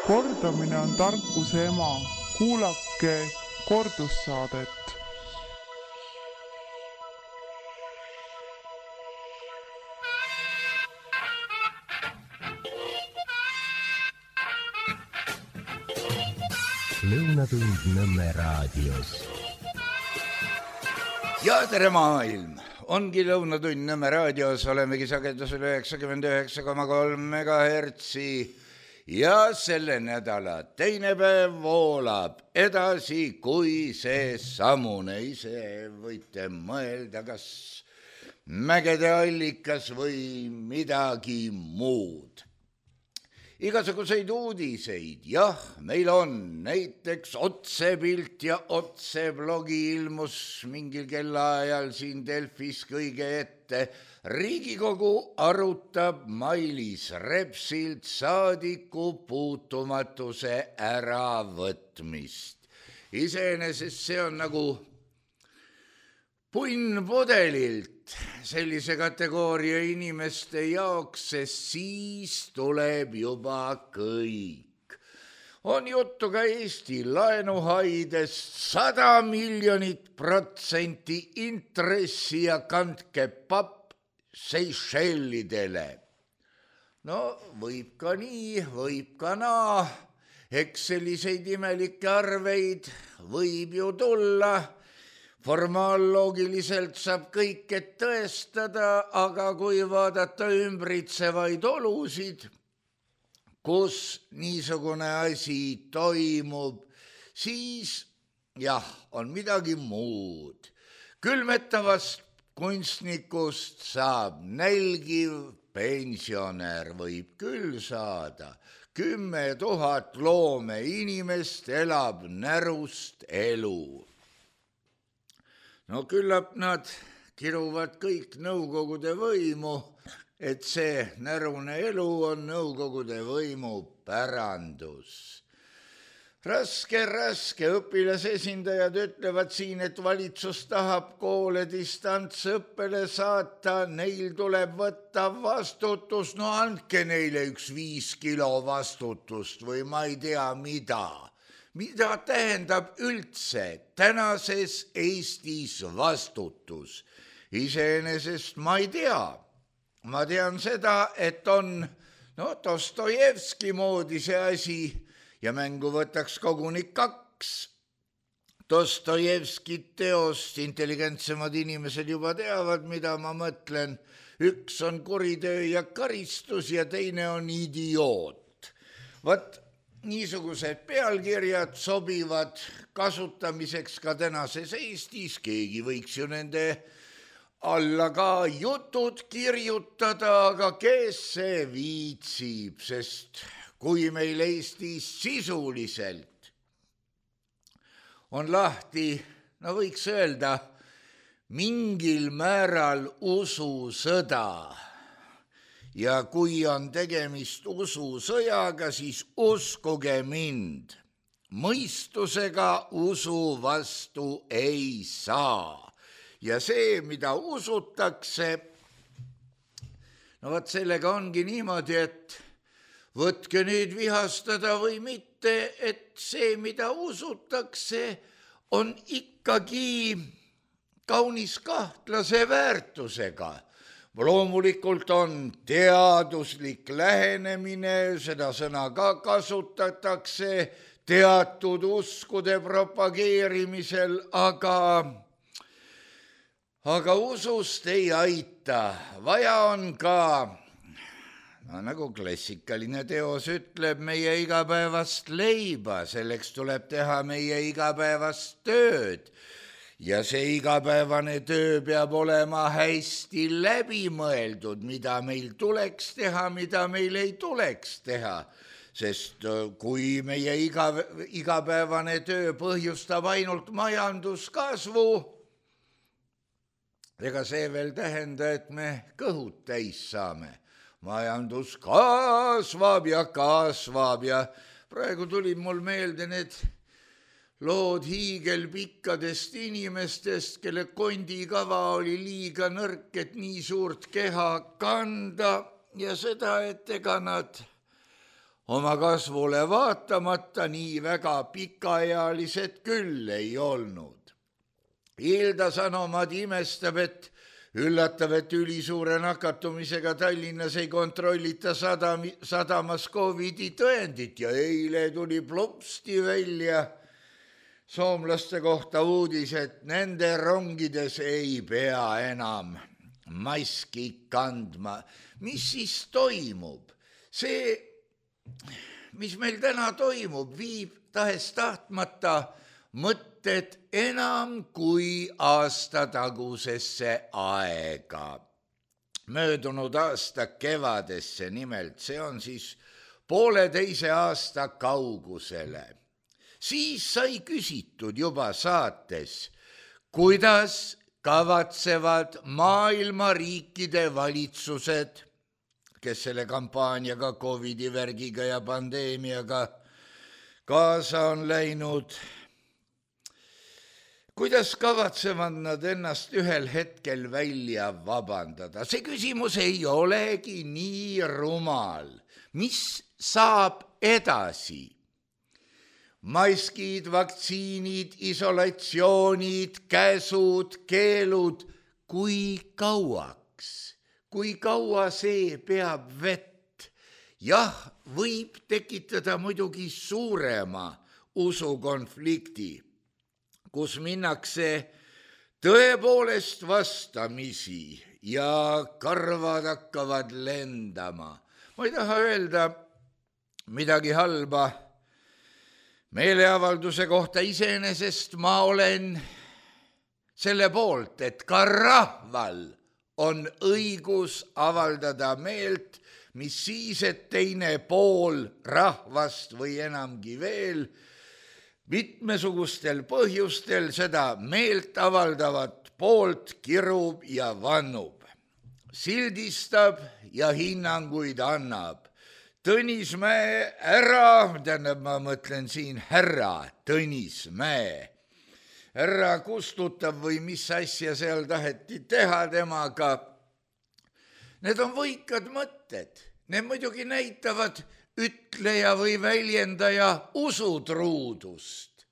Kordamine on tarkuse ema. Kuulake kordussaadet. Lõunatund Nõmme raadios. Ja tere maailm! Ongi Lõunatund Nõmme raadios, olemegi sagedusel 99,3 MHz ja selle nädala teine päev voolab edasi kui see samune. Ise võite mõelda, kas mägede allikas või midagi muud. Igasuguseid uudiseid, jah, meil on näiteks otsepilt ja otseblogi ilmus mingil kellaajal siin Delfis kõige ette. Riigikogu arutab Mailis Repsilt saadiku puutumatuse äravõtmist. Iseenesest see on nagu punnpudelilt sellise kategooria inimeste jaoks, sest siis tuleb juba kõik. On juttu ka Eesti laenuhaidest 100 miljonit % intressi ja kandke papp Seychellidele. No võib ka nii, võib ka naa. Eks selliseid imelikke arveid võib ju tulla. Formaalloogiliselt saab kõike tõestada, aga kui vaadata ümbritsevaid olusid, kus niisugune asi toimub, siis jah, on midagi muud. Külmetavast kunstnikust saab nälgiv pensionär, võib küll saada. 10 000 loome inimest elab närust elu. No küllap nad kiruvad kõik nõukogude võimu, et see närune elu on nõukogude võimu pärandus. Raske õpilasesindajad ütlevad siin, et valitsus tahab koole distantsõppele saata, neil tuleb võtta vastutus, no andke neile 5 kilo vastutust või ma ei tea mida. Mida tähendab üldse tänases Eestis vastutus? Iseenesest ma ei tea. Ma tean seda, et on Dostojevski moodi see asi ja mängu võtaks koguni 2 Dostojevskit teost. Intelligentsemad inimesed juba teavad, mida ma mõtlen. Üks on kuritöö ja karistus ja teine on idioot. Vat niisugused pealkirjad sobivad kasutamiseks ka tänases Eestis. Keegi võiks ju nende alla ka jutud kirjutada, aga kes see viitsib, sest kui meil Eestis sisuliselt on lahti, no võiks öelda, mingil määral ususõda, ja kui on tegemist ususõjaga, siis uskuge mind, mõistusega usu vastu ei saa. Ja see, mida usutakse, no vaat sellega ongi niimoodi, et võtke nüüd vihastada või mitte, et see, mida usutakse, on ikkagi kaunis kahtlase väärtusega. Loomulikult on teaduslik lähenemine, seda sõna ka kasutatakse teatud uskude propageerimisel, aga usust ei aita. Vaja on ka, nagu klassikaline teos ütleb, meie igapäevast leiba, selleks tuleb teha meie igapäevast tööd. Ja see igapäevane töö peab olema hästi läbimõeldud, mida meil tuleks teha, mida meil ei tuleks teha. Sest kui meie igapäevane töö põhjustab ainult majanduskasvu, ega see veel tähenda, et me kõhud täis saame. Majandus kasvab ja praegu tuli mul meelde need lood hiigelpikkadest inimestest, kelle kondikava oli liiga nõrk, et nii suurt keha kanda ja seda, et ega nad oma kasvule vaatamata nii väga pikaealised küll ei olnud. Hilda Sanomat imestab, et üllatav, et ülisuure nakatumisega Tallinnas ei kontrollita sadamas COVID-i tõendit ja eile tuli plopsti välja soomlaste kohta uudis, et nende rongides ei pea enam maski kandma. Mis siis toimub? See, mis meil täna toimub, viib tahes-tahtmata mõtted enam kui aasta tagusesse aega. Möödunud aasta kevadesse nimelt, see on siis 1,5 aasta kaugusele. Siis sai küsitud juba saates, kuidas kavatsevad maailma riikide valitsused, kes selle kampaaniaga, COVID-i värgiga ja pandeemiaga kaasa on läinud, kuidas kavatsevad nad ennast ühel hetkel välja vabandada? See küsimus ei olegi nii rumal. Mis saab edasi? Maskid, vaktsiinid, isolatsioonid, käsud, keelud. Kui kauaks? Kui kaua see peab vett? Jah, võib tekitada muidugi suurema usukonflikti, kus minnakse tõepoolest vastamisi ja karvad hakkavad lendama. Ma ei taha öelda midagi halba meeleavalduse kohta, iseenesest ma olen selle poolt, et ka rahval on õigus avaldada meelt, mis siis, et teine pool rahvast või enamgi veel mitmesugustel põhjustel seda meelt avaldavat poolt kirub ja vannub, sildistab ja hinnanguid annab. Tõnis Mäe ma mõtlen siin härra Tõnis Mäe, härra kustutab või mis asja seal taheti teha temaga. Need on võikad mõtted, need muidugi näitavad ütleja või väljendaja usutruudust,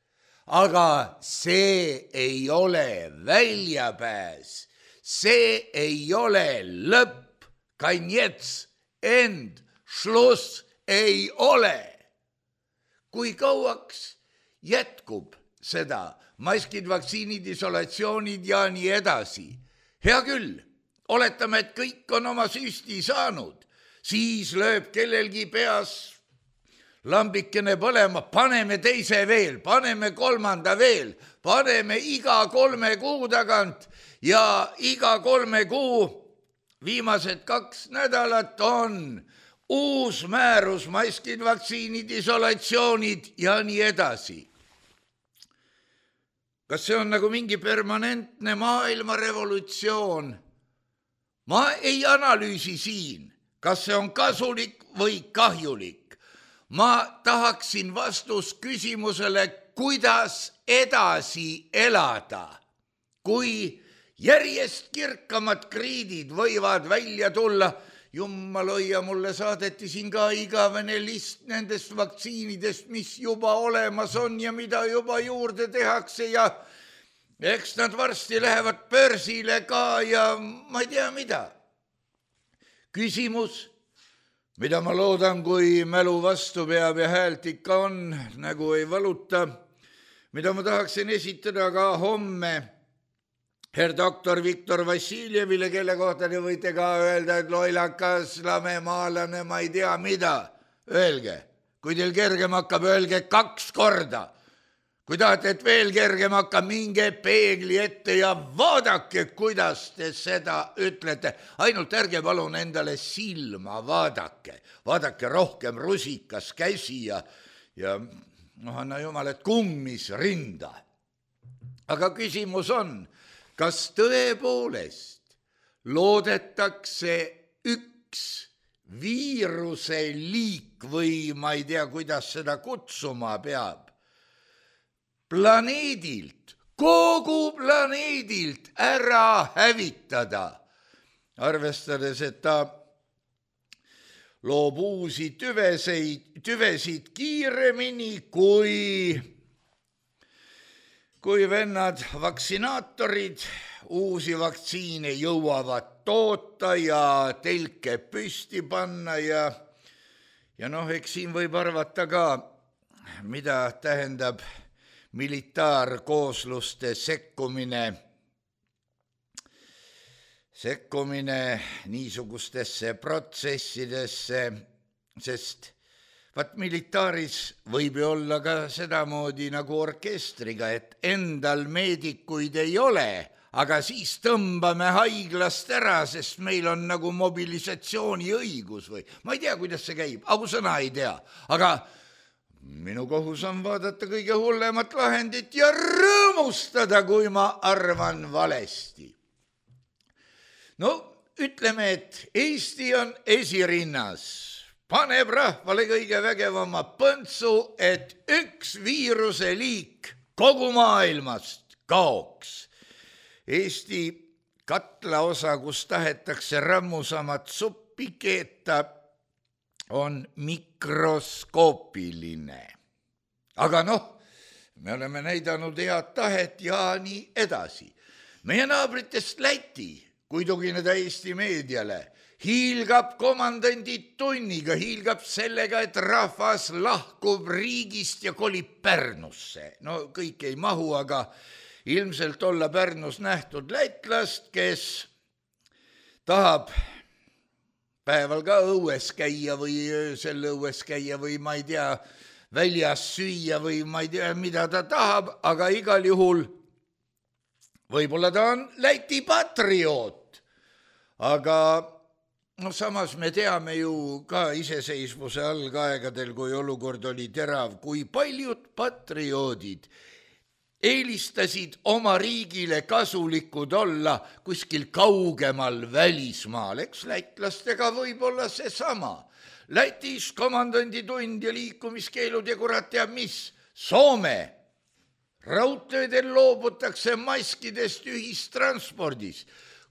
aga see ei ole väljapääs, see ei ole lõpp, konец, end, šluss ei ole. Kui kauaks jätkub seda, maskid, vaktsiinid, isolatsioonid ja nii edasi? Hea küll, oletame, et kõik on oma süsti saanud, siis lööb kellelgi peas lambikene põlema, paneme teise veel, paneme kolmanda veel, paneme iga 3 kuu tagant ja iga 3 kuu viimased 2 nädalat on uus määrus, maskid, vaktsiinid, isolatsioonid ja nii edasi. Kas see on nagu mingi permanentne maailmarevolutsioon? Ma ei analüüsi siin, kas see on kasulik või kahjulik. Ma tahaksin vastust küsimusele, kuidas edasi elada, kui järjest kirkamad kriidid võivad välja tulla. Jummal hoia, mulle saadeti siin ka igavene list nendest vaktsiinidest, mis juba olemas on ja mida juba juurde tehakse ja eks nad varsti lähevad börsile ka ja ma ei tea mida. Küsimus, mida ma loodan, kui mälu vastu peab ja häält ikka on, nägu ei valuta, mida ma tahaksin esitada ka homme herr doktor Viktor Vassiljevile, kelle kohta te võite ka öelda, et loilakas, lamemaalane, ma ei tea mida. Öelge, kui teil kergem hakkab, öelge 2 korda. Kui tahate, et veel kergem hakkab, minge peegli ette ja vaadake, kuidas te seda ütlete. Ainult ärge palun endale silma vaadake. Vaadake rohkem rusikas käsi ja anna jumal, et kummis rinda. Aga küsimus on, kas tõepoolest loodetakse üks viiruse liik või ma ei tea, kuidas seda kutsuma peab, planeedilt, kogu planeedilt ära hävitada, arvestades, et ta loob uusi tüvesid kiiremini, kui vennad vaktsinaatorid uusi vaktsiine jõuavad toota ja telke püsti panna ja eks siin võib arvata ka, mida tähendab militaarkoosluste sekkumine niisugustesse protsessidesse, sest militaaris võib ju olla ka sedamoodi nagu orkestriga, et endal meedikuid ei ole, aga siis tõmbame haiglast ära, sest meil on nagu mobilisatsiooniõigus või ma ei tea, kuidas see käib, ausõna ei tea, aga minu kohus on vaadata kõige hullemat lahendit ja rõõmustada, kui ma arvan valesti. No ütleme, et Eesti on esirinnas, paneb rahvale kõige vägevama põntsu, et üks viiruse liik kogu maailmast kaoks. Eesti katlaosa, kus tahetakse rammusamat suppi keeta, on mikroskoopiline. Aga me oleme näidanud head tahet ja nii edasi. Meie naabritest Läti, kui tugineda Eesti meediale, hiilgab komandandi-tunniga, hiilgab sellega, et rahvas lahkub riigist ja kolib Pärnusse. No kõik ei mahu, aga ilmselt olla Pärnus nähtud lätlast, kes tahab päeval ka õues käia või öösel õues käia või ma ei tea, väljas süüa või ma ei tea, mida ta tahab, aga igal juhul võib-olla ta on Läti patrioot. Aga samas me teame ju ka iseseisvuse algaegadel, kui olukord oli terav, kui paljud patrioodid eelistasid oma riigile kasulikud olla kuskil kaugemal välismaal, eks lätlastega võib olla seesama. Lätis komandanditund ja liikumiskeelud ja kurat teab mis. Soome raudteedel loobutakse maskidest ühistranspordis.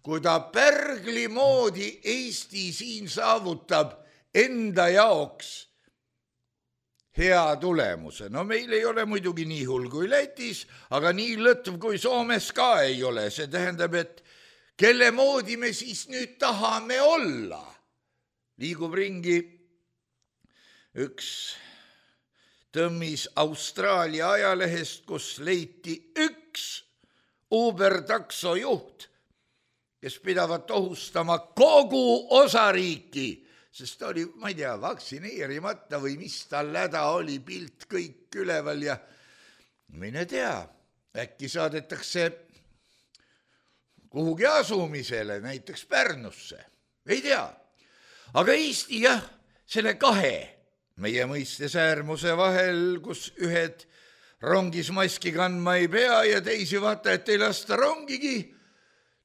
Kui ta pärgli moodi Eesti siin saavutab enda jaoks hea tulemuse. No meil ei ole muidugi nii hull kui Lätis, aga nii lõtv kui Soomes ka ei ole. See tähendab, et kelle moodi me siis nüüd tahame olla. Liigub ringi üks tõmmis Austraalia ajalehest, kus leiti üks Uber-takso juht, kes pidavat ohustama kogu osariiki, sest ta oli, ma ei tea, vaktsineerimata või mis tal häda oli, pilt kõik üleval ja mine tea, äkki saadetakse kuhugi asumisele, näiteks Pärnusse, ei tea. Aga Eesti selle kahe meie mõistes äärmuse vahel, kus ühed rongis maski kandma ei pea ja teisi vaata, et ei lasta rongigi,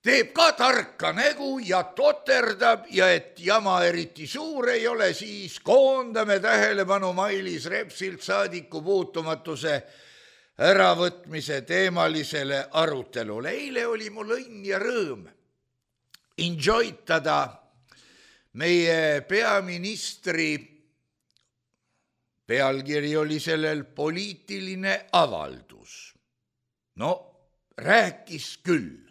teeb ka tarka nägu ja toterdab ja et jama eriti suur ei ole, siis koondame tähelepanu Mailis Repsilt saadiku puutumatuse äravõtmise teemalisele arutelule. Eile oli mul õnn ja rõõm enjoytada meie peaministri, pealkiri oli sellel poliitiline avaldus. No rääkis küll.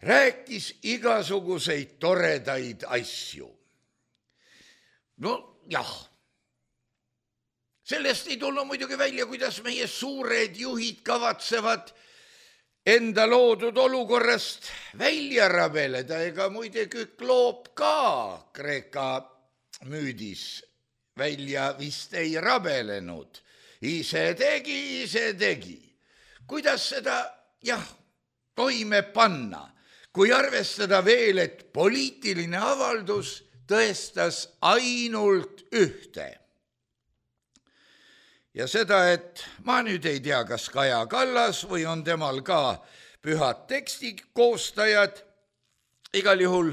Rääkis igasuguseid toredaid asju. No jah, sellest ei tulnud muidugi välja, kuidas meie suured juhid kavatsevad enda loodud olukorrast välja rabeleda, ega muide Kükloop ka Kreeka müüdis välja vist ei rabelenud. Ise tegi. Kuidas seda, toime panna? Kui arvestada veel, et poliitiline avaldus tõestas ainult ühte. Ja seda, et ma nüüd ei tea, kas Kaja Kallas või on temal ka pühad teksti koostajad, igal juhul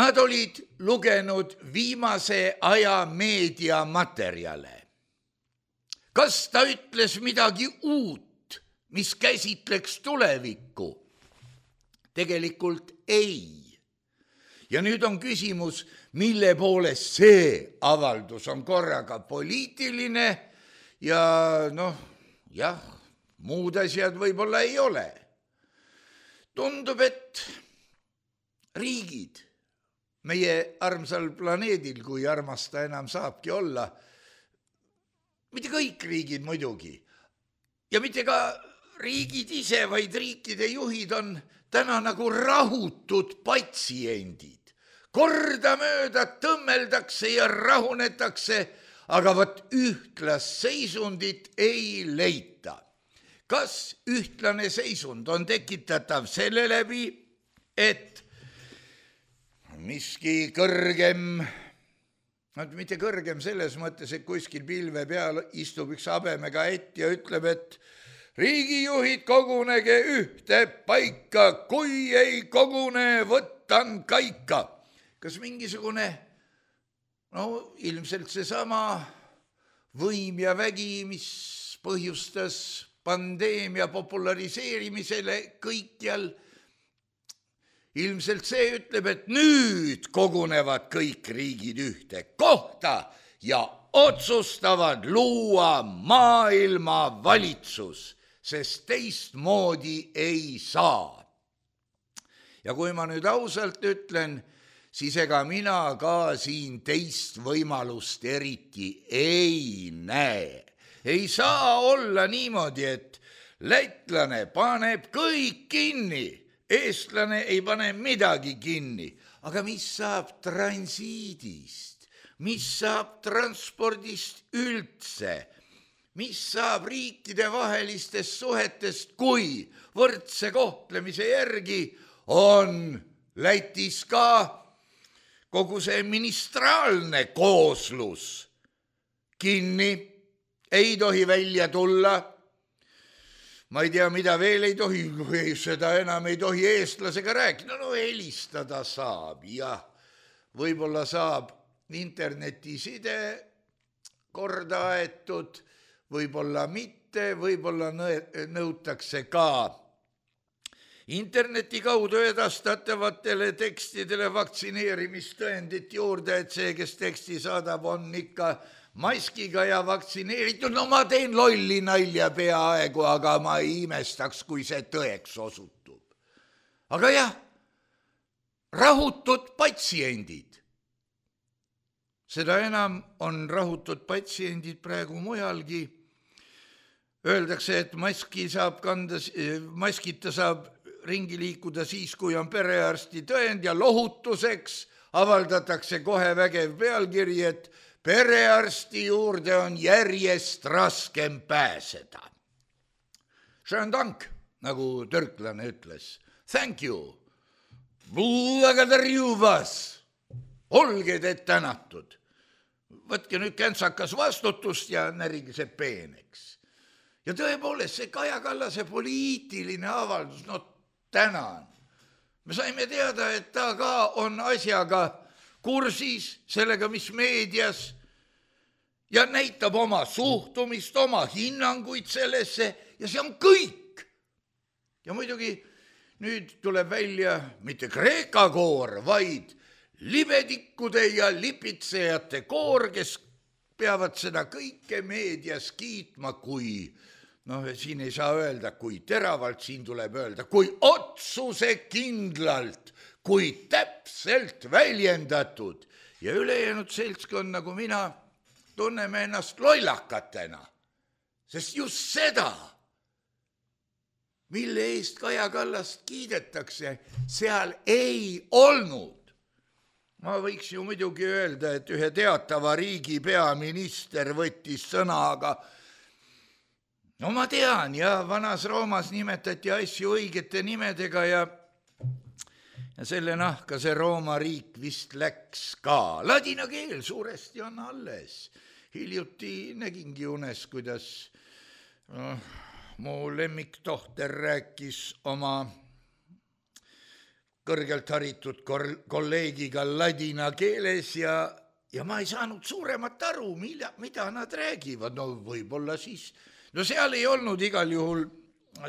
nad olid lugenud viimase aja meediamaterjale. Kas ta ütles midagi uut, mis käsitleks tulevikku? Tegelikult ei. Ja nüüd on küsimus, mille poolest see avaldus on korraga poliitiline ja jah, muud asjad võib-olla ei ole. Tundub, et riigid meie armsal planeedil, kui armas ta enam saabki olla, mitte kõik riigid muidugi, ja mitte ka riigid ise, vaid riikide juhid on täna nagu rahutud patsiendid. Kordamööda tõmmeldakse ja rahunetakse, aga vot ühtlast seisundit ei leita. Kas ühtlane seisund on tekitatav selle läbi, et miski kõrgem, mitte kõrgem selles mõttes, et kuskil pilve peal istub üks habemega ätt ja ütleb, et riigijuhid, kogunege ühte paika, kui ei kogune, võtan kaika. Kas mingisugune, ilmselt seesama võim ja vägi, mis põhjustas pandeemia populariseerimisele kõikjal, ilmselt see ütleb, et nüüd kogunevad kõik riigid ühte kohta ja otsustavad luua maailma valitsus, sest teistmoodi ei saa. Ja kui ma nüüd ausalt ütlen, siis ega mina ka siin teist võimalust eriti ei näe. Ei saa olla niimoodi, et lätlane paneb kõik kinni, eestlane ei pane midagi kinni. Aga mis saab transiidist? Mis saab transpordist üldse? Mis saab riikide vahelistest suhetest, kui võrdse kohtlemise järgi on Lätis ka kogu see ministraalne kooslus kinni, ei tohi välja tulla. Ma ei tea, mida veel ei tohi, seda enam ei tohi eestlasega rääkida. Helistada saab, jah. Võib-olla saab internetiside korda aetud, võib-olla mitte, võib-olla nõutakse ka interneti kaudu edastatavatele tekstidele vaktsineerimistõendit juurde, et see, kes teksti saadab, on ikka maskiga ja vaktsineeritud. Ma teen lolli nalja peaaegu, aga ma ei imestaks, kui see tõeks osutub. Aga jah, rahutud patsiendid. Seda enam on rahutud patsiendid praegu mujalgi. Öeldakse, et maskita saab ringi liikuda siis, kui on perearsti tõend ja lohutuseks avaldatakse kohe vägev pealkiri, et perearsti juurde on järjest raskem pääseda. Schönen Dank, nagu türklane ütles. Thank you. Благодарю вас. Olge te tänatud. Võtke nüüd käntsakas vastutust ja närige see peeneks. Ja tõepoolest see Kaja Kallase poliitiline avaldus, tänan. Me saime teada, et ta ka on asjaga kursis, sellega, mis meedias, ja näitab oma suhtumist, oma hinnanguid sellesse, ja see on kõik. Ja muidugi nüüd tuleb välja mitte Kreeka koor, vaid libedikkude ja lipitsejate koor, kes peavad seda kõike meedias kiitma, kui siin ei saa öelda, kui teravalt, siin tuleb öelda, kui otsusekindlalt, kui täpselt väljendatud. Ja ülejäänud seltskond, nagu mina, tunneme ennast lollakatena. Sest just seda, mille eest Kaja Kallast kiidetakse, seal ei olnud. Ma võiks ju muidugi öelda, et ühe teatava riigi peaminister võttis sõna, aga ma tean, ja vanas Roomas nimetati asju õigete nimedega ja selle nahka see Rooma riik vist läks ka. Ladina keel suuresti on alles. Hiljuti nägingi unes, kuidas mu lemmiktohter rääkis oma kõrgelt haritud kolleegiga ladina keeles ja ma ei saanud suuremat aru, mida nad räägivad. Võib-olla siis seal ei olnud igal juhul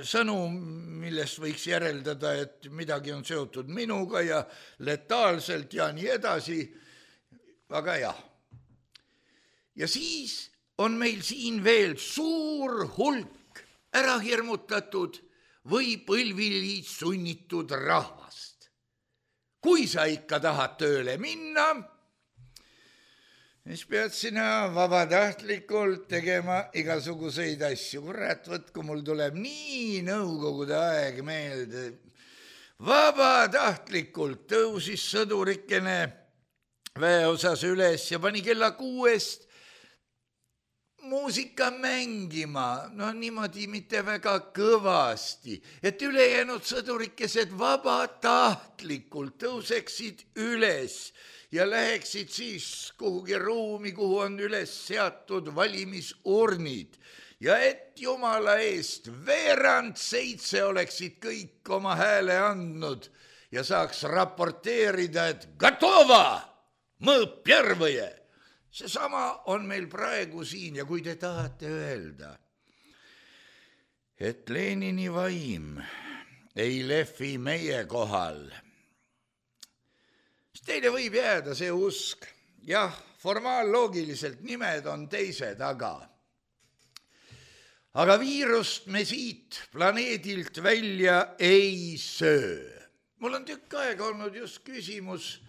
sõnu, millest võiks järeldada, et midagi on seotud minuga ja letaalselt ja nii edasi. aga jah. Ja siis on meil siin veel suur hulk ära hirmutatud või põlvili sunnitud rahvast. Kui sa ikka tahad tööle minna, siis pead sina vabatahtlikult tegema igasuguseid asju. Kurat, võtku, mul tuleb nii nõukogude aeg meelde. Vabatahtlikult tõusis sõdurikene väeosas üles ja pani kella 6 muusika mängima, no niimoodi mitte väga kõvasti, et ülejäänud sõdurikesed vabatahtlikult tõuseksid üles ja läheksid siis kuhugi ruumi, kuhu on üles seatud valimisurnid ja et jumala eest 6:veerand oleksid kõik oma hääle andnud ja saaks raporteerida, et gatova, mõõp järvõje. Seesama on meil praegu siin ja kui te tahate öelda, et Lenini vaim ei lehvi meie kohal, siis teile võib jääda see usk. Jah, formaalloogiliselt nimed on teised, aga viirust me siit planeedilt välja ei söö. Mul on tükk aega olnud just küsimus,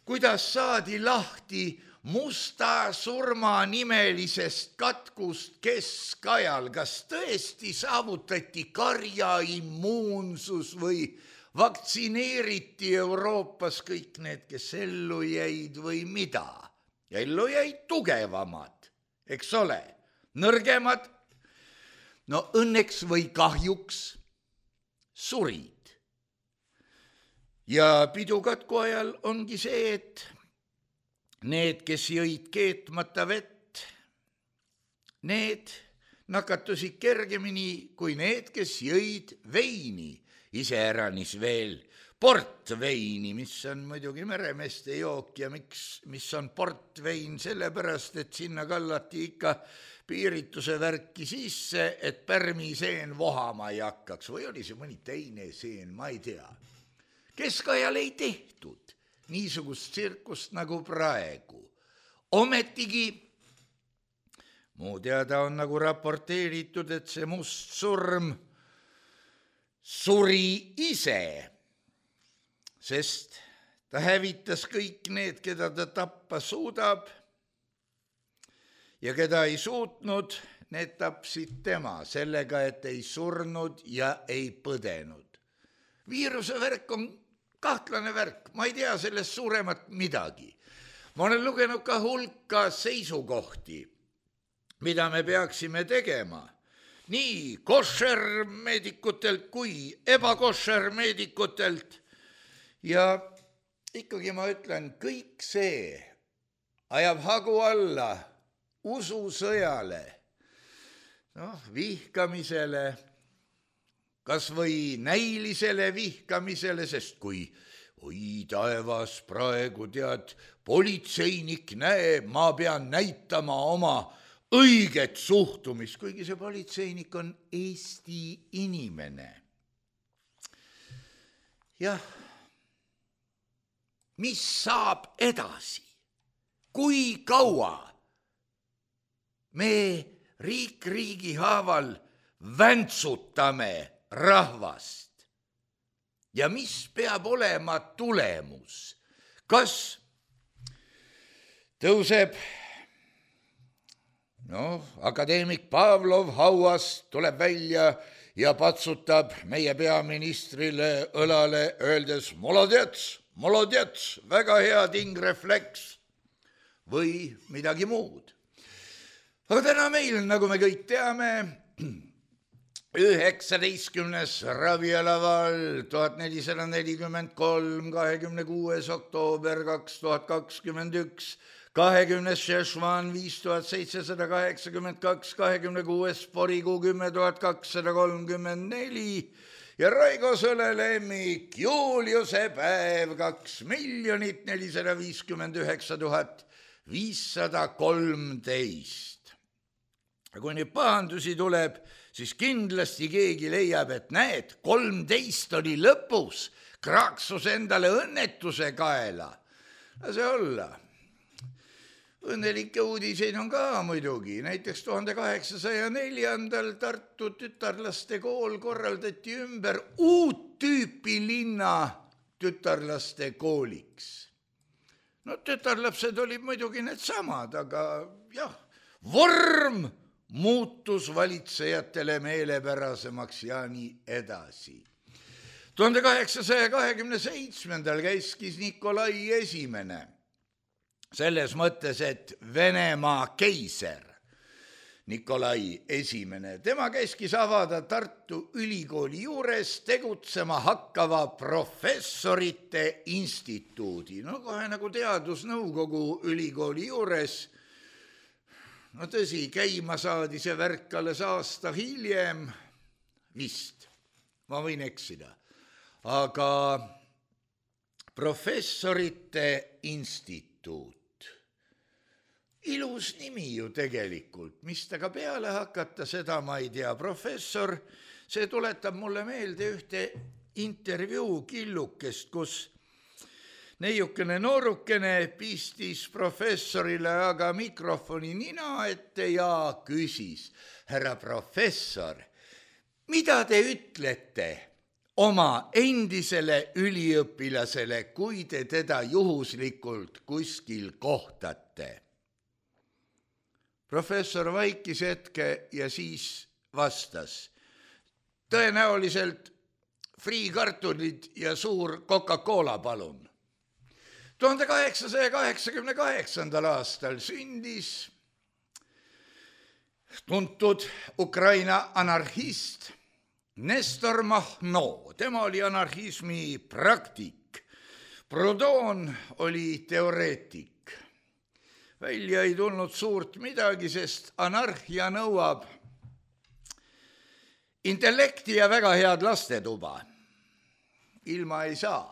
kuidas saadi lahti Musta surma nimelisest katkust keskajal, kas tõesti saavutati karjaimmuunsus või vaktsineeriti Euroopas kõik need, kes ellu jäid või mida? Ellu jäid tugevamad, eks ole, nõrgemad, no õnneks või kahjuks surid. Ja pidukatku ajal ongi see, et need, kes jõid keetmata vett, need nakatusid kergemini kui need, kes jõid veini, iseäranis veel portveini, mis on muidugi meremeeste jook ja mis on portvein, sellepärast, et sinna kallati ikka piirituse värki sisse, et pärmiseen vohama ei hakkaks või oli see mõni teine seen, ma ei tea. Keskajal ei tehtud niisugust tsirkust nagu praegu. Ometigi, muu teada on nagu raporteeritud, et see must surm suri ise, sest ta hävitas kõik need, keda ta tappa suudab ja keda ei suutnud, need tapsid tema sellega, et ei surnud ja ei põdenud. Viiruse värk on kahtlane värk, ma ei tea sellest suuremat midagi. Ma olen lugenud ka hulka seisukohti, mida me peaksime tegema, nii koššermeedikutelt kui ebakoššermeedikutelt. Ja ikkagi ma ütlen, kõik see ajab hagu alla ususõjale, vihkamisele, kas või näilisele vihkamisele, sest kui oi taevas praegu tead, politseinik näeb, ma pean näitama oma õiget suhtumist, kuigi see politseinik on Eesti inimene. Jah, mis saab edasi? Kui kaua me riigi haaval väntsutame rahvast ja mis peab olema tulemus? Kas tõuseb, akadeemik Pavlov hauast tuleb välja ja patsutab meie peaministrile õlale, öeldes molodets, väga hea tingrefleks või midagi muud. Aga täna meil, nagu me kõik teame, 19. ravialaval 1443, 26. oktoober 2021, 20. šešvan 5782, 26. porikuu 10.234 ja Raigo Sõlelemmik Juliuse päev 2,459,513. Kui nüüd pahandusi tuleb, siis kindlasti keegi leiab, et näed, 13 oli lõpus, kraaksus endale õnnetuse kaela. Lase olla. õnnelikke uudiseid on ka muidugi, näiteks 1804. Tartu tütarlaste kool korraldati ümber uut tüüpi linna tütarlaste kooliks. No tütarlapsed olid muidugi need samad, aga jah, vorm muutus valitsejatele meelepärasemaks ja nii edasi. 1827. käskis Nikolai esimene, selles mõttes, et Venemaa keiser Nikolai esimene, tema käskis avada Tartu Ülikooli juures tegutsema hakkava professorite instituudi. No kohe nagu teadusnõukogu ülikooli juures. No tõsi, käima saadi see värk alles aasta hiljem, vist, ma võin eksida, aga professorite instituut. Ilus nimi ju tegelikult, mis taga peale hakata, seda ma ei tea. Professor, see tuletab mulle meelde ühte intervjuu killukest, kus neiukene noorukene pistis professorile aga mikrofoni nina ette ja küsis: härra professor, mida te ütlete oma endisele üliõpilasele, kui te teda juhuslikult kuskil kohtate? Professor vaikis hetke ja siis vastas: tõenäoliselt friikartulid ja suur Coca-Cola palun. 1888. aastal sündis tuntud Ukraina anarhist Nestor Makhno. Tema oli anarhismi praktik. Proudhon oli teoreetik. Välja ei tulnud suurt midagi, sest anarhia nõuab intellekti ja väga head lastetuba. Ilma ei saa.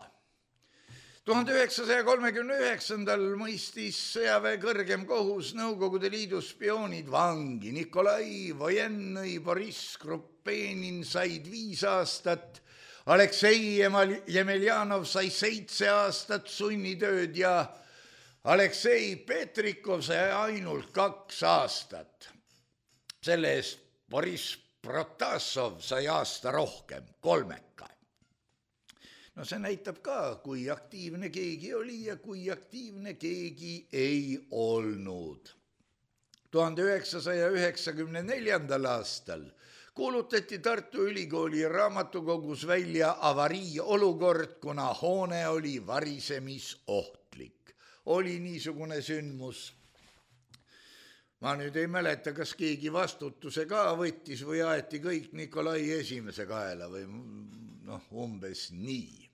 1939. mõistis sõjaväe kõrgem kohus Nõukogude Liidu spioonid vangi. Nikolai Vojennõi, Boriss Krupenin said 5 aastat, Aleksei Jemeljanov sai 7 aastat sunnitööd ja Aleksei Petrikov sai ainult 2 aastat. Selle eest Boriss Protasov sai aasta rohkem, 3. No see näitab ka, kui aktiivne keegi oli ja kui aktiivne keegi ei olnud. 1994. aastal kuulutati Tartu Ülikooli raamatukogus välja avariiolukord, kuna hoone oli varisemisohtlik. Oli niisugune sündmus. Ma nüüd ei mäleta, kas keegi vastutuse ka võttis või aeti kõik Nikolai esimese kaela või umbes nii.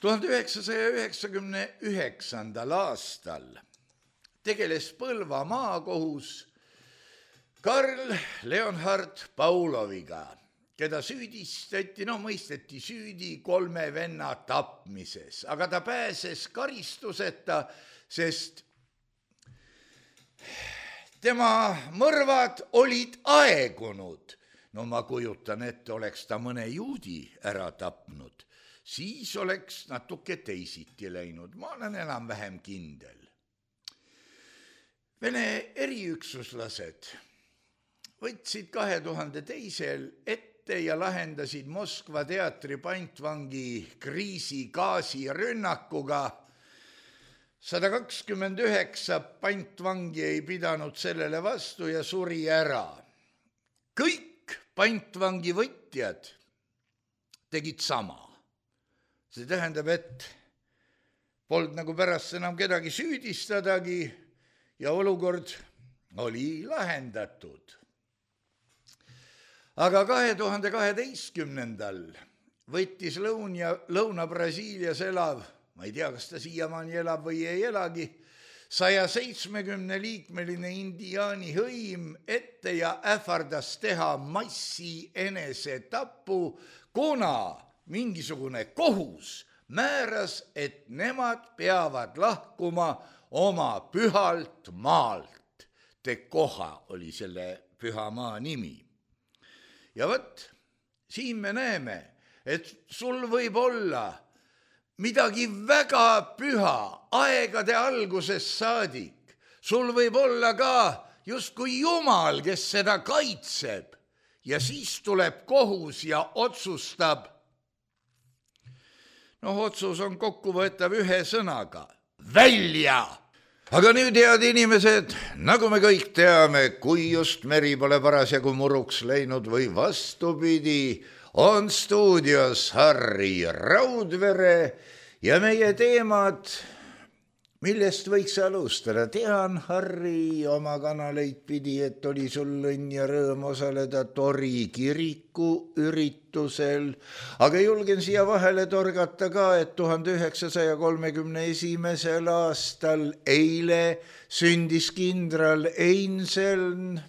1999. aastal tegeles Põlva maakohus Karl Leonhard Pauloviga, keda mõisteti süüdi 3 venna tapmises, aga ta pääses karistuseta, sest tema mõrvad olid aegunud. No ma kujutan ette, oleks ta mõne juudi ära tapnud, siis oleks natuke teisiti läinud. Ma olen enam-vähem kindel. Vene eriüksuslased võtsid 2002. ette ja lahendasid Moskva teatri pantvangi kriisi gaasirünnakuga. 129 pantvangi ei pidanud sellele vastu ja suri ära. Kõik pantvangi võtjad tegid sama. See tähendab, et polnud nagu pärast enam kedagi süüdistadagi ja olukord oli lahendatud. Aga 2012. võttis Lõuna-Brasiilias elav, ma ei tea, kas ta siiamaani elab või ei elagi, 170-liikmeline indiaani hõim ette ja ähvardas teha massi enesetapu, kuna mingisugune kohus määras, et nemad peavad lahkuma oma pühalt maalt. Tekoha oli selle püha maa nimi. Ja võt, siin me näeme, et sul võib olla midagi väga püha aegade algusest saadik, sul võib olla ka justkui Jumal, kes seda kaitseb ja siis tuleb kohus ja otsustab. Otsus on kokkuvõetav ühe sõnaga. Välja! Aga nüüd, head inimesed, nagu me kõik teame, kui just meri pole parasjagu muruks läinud või vastupidi, on stuudios Harri Raudvere ja meie teemad, millest võiks alustada. Tean, Harri, oma kanaleid pidi, et oli sul õnn ja rõõm osaleda Tori kiriku üritusel, aga julgen siia vahele torgata ka, et 1931. aastal eile sündis kindral Einseln,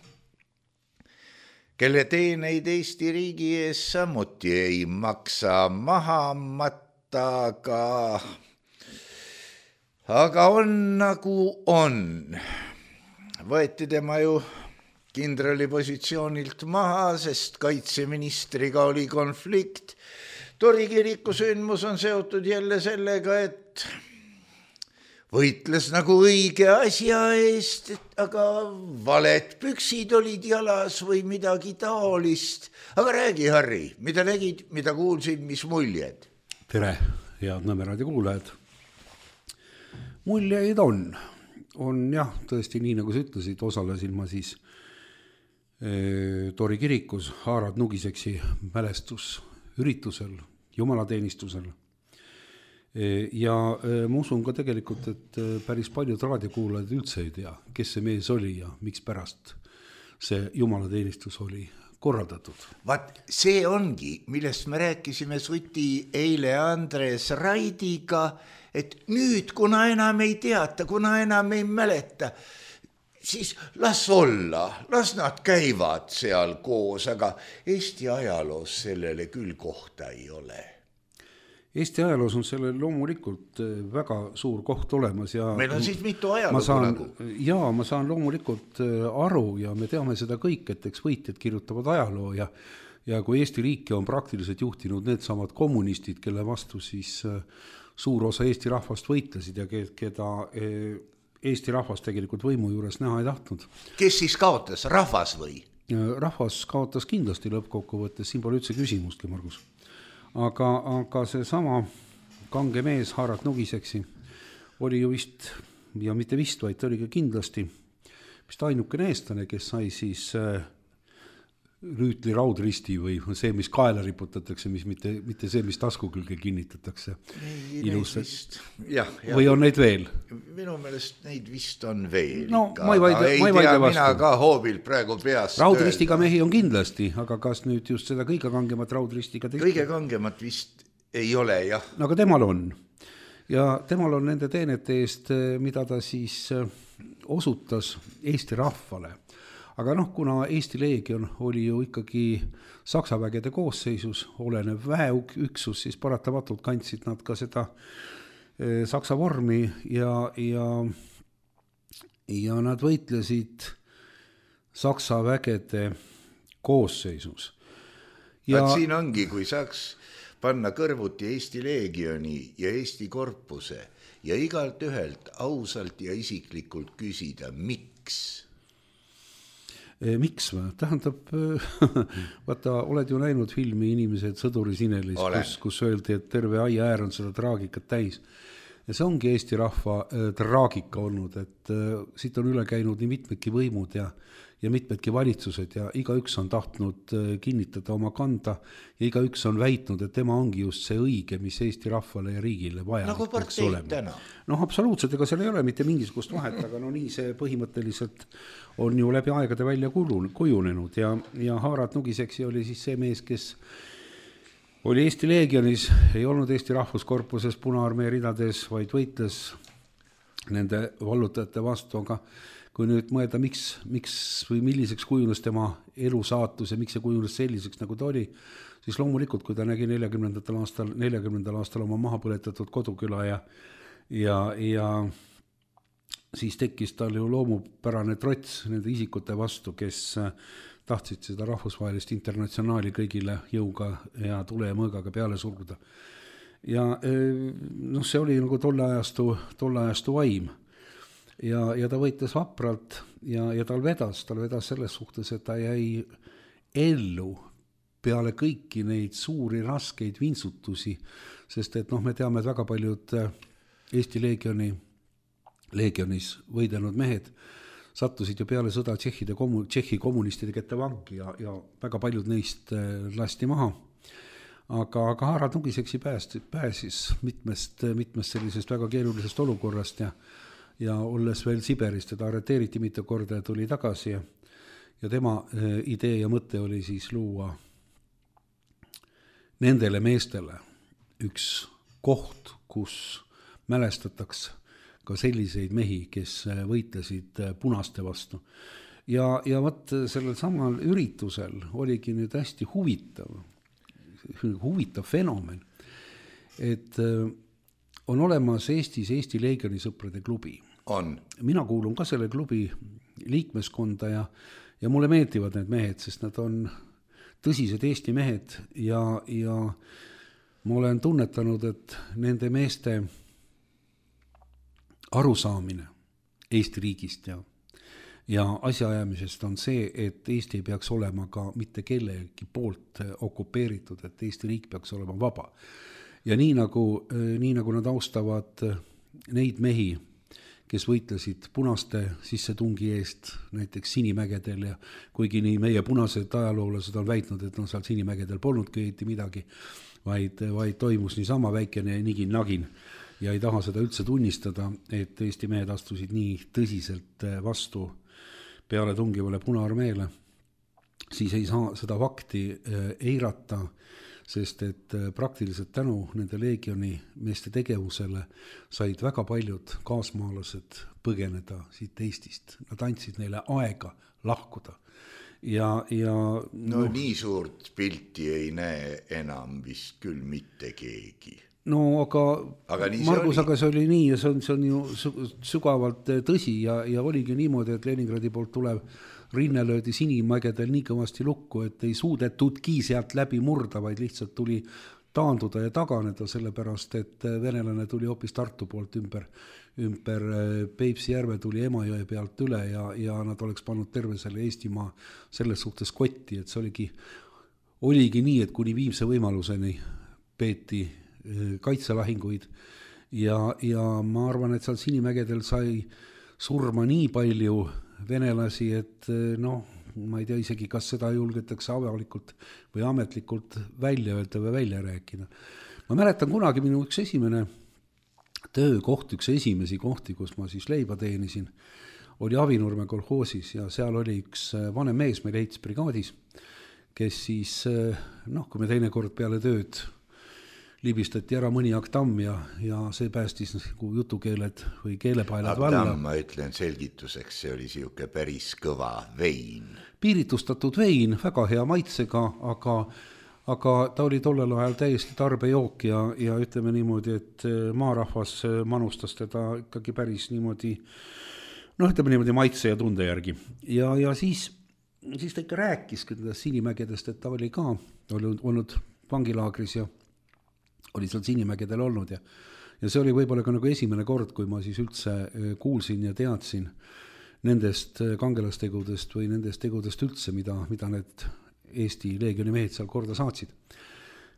kelle teeneid Eesti riigi ees samuti ei maksa maha matta, aga on nagu on. Võeti tema ju kindrali positsioonilt maha, sest kaitseministriga oli konflikt. Tori kiriku sündmus on seotud jälle sellega, et võitles nagu õige asja eest, aga valed püksid olid jalas või midagi taolist. Aga räägi, Harri, mida nägid, mida kuulsid, mis muljed? Tere, head Nõmme raadio kuulajad. Muljeid on jah, tõesti nii, nagu sa ütlesid, osalesin ma siis Tori kirikus Haarad Nugiseksi mälestusüritusel, jumalateenistusel. Ja ma usun ka tegelikult, et päris paljud raadiokuulajad üldse ei tea, kes see mees oli ja miks pärast see jumalateenistus oli korraldatud. Vaat see ongi, millest me rääkisime Suti eile Andres Raidiga, et nüüd, kuna enam ei teata, kuna enam ei mäleta, siis las olla, las nad käivad seal koos, aga Eesti ajaloos sellele küll kohta ei ole. Eesti ajaloos on sellel loomulikult väga suur koht olemas. Ja meil on siis mitu ajalugu. Jaa, ma saan loomulikult aru ja me teame seda kõik, et eks võitjad kirjutavad ajaloo ja kui Eesti riiki on praktiliselt juhtinud need samad kommunistid, kelle vastu siis suur osa Eesti rahvast võitlesid ja keda Eesti rahvast tegelikult võimu juures näha ei tahtnud. Kes siis kaotas, rahvas või? Rahvas kaotas kindlasti lõppkokkuvõttes, siin pole üldse küsimustki, Margus. Aga see sama kange mees Haarad Nugiseksi oli ju vist, ja mitte vist, vaid ta oli ka kindlasti vist ainukene eestlane, kes sai siis rüütli raudristi või see, mis kaela riputatakse, mis mitte see, mis tasku külge kinnitatakse. Ilusalt. Või on neid veel? Minu meelest neid vist on veel. No, ma ei vaidle vastu. Mina ka hoobilt praegu peast. Raudristiga mehi on kindlasti, aga kas nüüd just seda kõige kangemat raudristiga tehti? Kõige kangemat vist ei ole, jah. No, aga temal on. Ja temal on nende teenete eest, mida ta siis osutas Eesti rahvale. Aga kuna Eesti leegion oli ju ikkagi Saksa vägede koosseisus olenev väeüksus, siis paratamatult kandsid nad ka seda Saksa vormi ja nad võitlesid Saksa vägede koosseisus. Siin ongi, kui saaks panna kõrvuti Eesti leegioni ja Eesti korpuse ja igalt ühelt ausalt ja isiklikult küsida, miks? Miks või? Tähendab, vaata, oled ju näinud filmi Inimesed sõduri sinelis, kus öeldi, et terve aia äär on seda traagikat täis. Ja see ongi Eesti rahva traagika olnud, et siit on üle käinud nii mitmedki võimud ja mitmedki valitsused ja igaüks on tahtnud kinnitada oma kanda ja igaüks on väitnud, et tema ongi just see õige, mis Eesti rahvale ja riigile vaja. Nagu parteid täna. Absoluutselt, ega seal ei ole mitte mingisugust vahet, aga nii see põhimõtteliselt on ju läbi aegade välja kujunenud ja Haarad Nugiseksi oli siis see mees, kes oli Eesti leegionis, ei olnud Eesti rahvuskorpuses Punaarmee ridades, vaid võitles nende vallutajate vastu, aga kui nüüd mõelda, miks või milliseks kujunes tema elu saatus ja miks see kujunes selliseks, nagu ta oli, siis loomulikult, kui ta nägi 40. aastal oma maha põletatud koduküla ja siis tekkis tal ju loomupärane trots nende isikute vastu, kes tahtsid seda rahvusvahelist internatsionaali kõigile jõuga ja tule ja mõõgaga peale surguda. Ja see oli nagu tolle ajastu vaim. ja ta võitles vapralt ja tal vedas selles suhtes, et ta jäi ellu peale kõiki neid suuri raskeid vintsutusi, sest et me teame, et väga paljud Eesti leegionis võidelnud mehed sattusid ju peale sõda Tšehhi kommunistide kätte vangi ja väga paljud neist lasti maha. Aga Harald Nugiseksi pääsis mitmest sellisest väga keerulisest olukorrast ja olles veel Siberis, teda arreteeriti mitu korda ja tuli tagasi ja tema idee ja mõte oli siis luua nendele meestele üks koht, kus mälestatakse ka selliseid mehi, kes võitlesid punaste vastu. Ja võt sellel samal üritusel oligi nüüd hästi huvitav fenomen, et on olemas Eestis Eesti Leegioni sõprade klubi. Mina kuulun ka selle klubi liikmeskonda ja mulle meeldivad need mehed, sest nad on tõsised Eesti mehed ja ma olen tunnetanud, et nende meeste arusaamine Eesti riigist ja asjaajamisest on see, et Eesti ei peaks olema ka mitte kellegi poolt okupeeritud, et Eesti riik peaks olema vaba. Ja nii nagu nad austavad neid mehi, kes võitlesid punaste sissetungi eest näiteks Sinimägedel ja kuigi nii meie punased ajaloolased on väitnud, et seal Sinimägedel polnudki midagi, vaid toimus niisama väikene nigin-nagin ja ei taha seda üldse tunnistada, et Eesti mehed astusid nii tõsiselt vastu peale tungivale Punaarmeele, siis ei saa seda fakti eirata, sest et praktiliselt tänu nende leegioni meeste tegevusele said väga paljud kaasmaalased põgeneda siit Eestist. Nad andsid neile aega lahkuda. Nii suurt pilti ei näe enam vist küll mitte keegi. No aga Margus, aga see oli nii ja see on ju sügavalt tõsi ja oligi niimoodi, et Leningradi poolt tulev rinne löödi Sinimägedel nii kõvasti lukku, et ei suudetudki sealt läbi murda, vaid lihtsalt tuli taanduda ja taganeda, sellepärast et venelane tuli hoopis Tartu poolt ümber Peipsi järve, tuli Emajõe pealt üle ja nad oleks pannud terve selle Eestimaa selles suhtes kotti, et see oligi nii, et kuni viimse võimaluseni peeti kaitselahinguid ja ma arvan, et seal Sinimägedel sai surma nii palju venelasi, et ma ei tea isegi, kas seda julgetakse avalikult või ametlikult välja öelda või välja rääkida. Ma mäletan kunagi minu üks esimene töökoht, üks esimesi kohti, kus ma siis leiba teenisin, oli Avinurme kolhoosis ja seal oli üks vanem mees meil ehitusbrigaadis, kes siis, kui me teinekord peale tööd libistati ära mõni aktamm ja see päästis jutukeeled või keelepaelad valla. Aktamm, ma ütlen selgituseks, see oli siuke päris kõva vein. Piiritustatud vein, väga hea maitsega, aga ta oli tollel ajal täiesti tarbejook ja ütleme niimoodi, et maarahvas manustas teda ikkagi päris niimoodi, ütleme niimoodi maitse ja tunde järgi. Ja siis ta ikka rääkis Sinimägedest, et ta oli ka olnud vangilaagris ja oli seal Sinimägedel olnud ja see oli võib-olla ka nagu esimene kord, kui ma siis üldse kuulsin ja teadsin nendest kangelastegudest või nendest tegudest üldse, mida need Eesti leegioni mehed seal korda saatsid.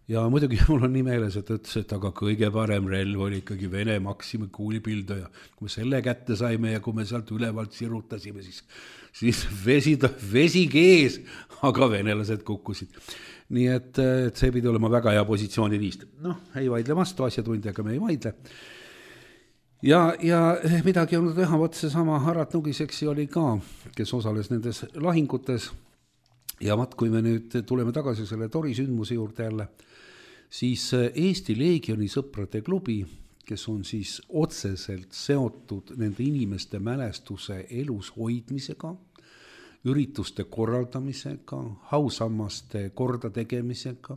Ja muidugi mul on nii meeles, et ütles, et aga kõige parem relv oli ikkagi Vene Maxima kuulipilduja. Kui me selle kätte saime ja kui me sealt ülevalt sirutasime, siis vesi kees, aga venelased kukkusid. Nii et see pidi olema väga hea positsiooni riist. Ei vaidle vastu, asjatundjaga me ei vaidle. Ja midagi on teha, see sama Harald Nugiseksi oli ka, kes osales nendes lahingutes. Ja kui me nüüd tuleme tagasi selle Tori sündmuse juurde jälle, siis Eesti Leegioni sõprade klubi, kes on siis otseselt seotud nende inimeste mälestuse elus hoidmisega, ürituste korraldamisega, hausammaste korda tegemisega,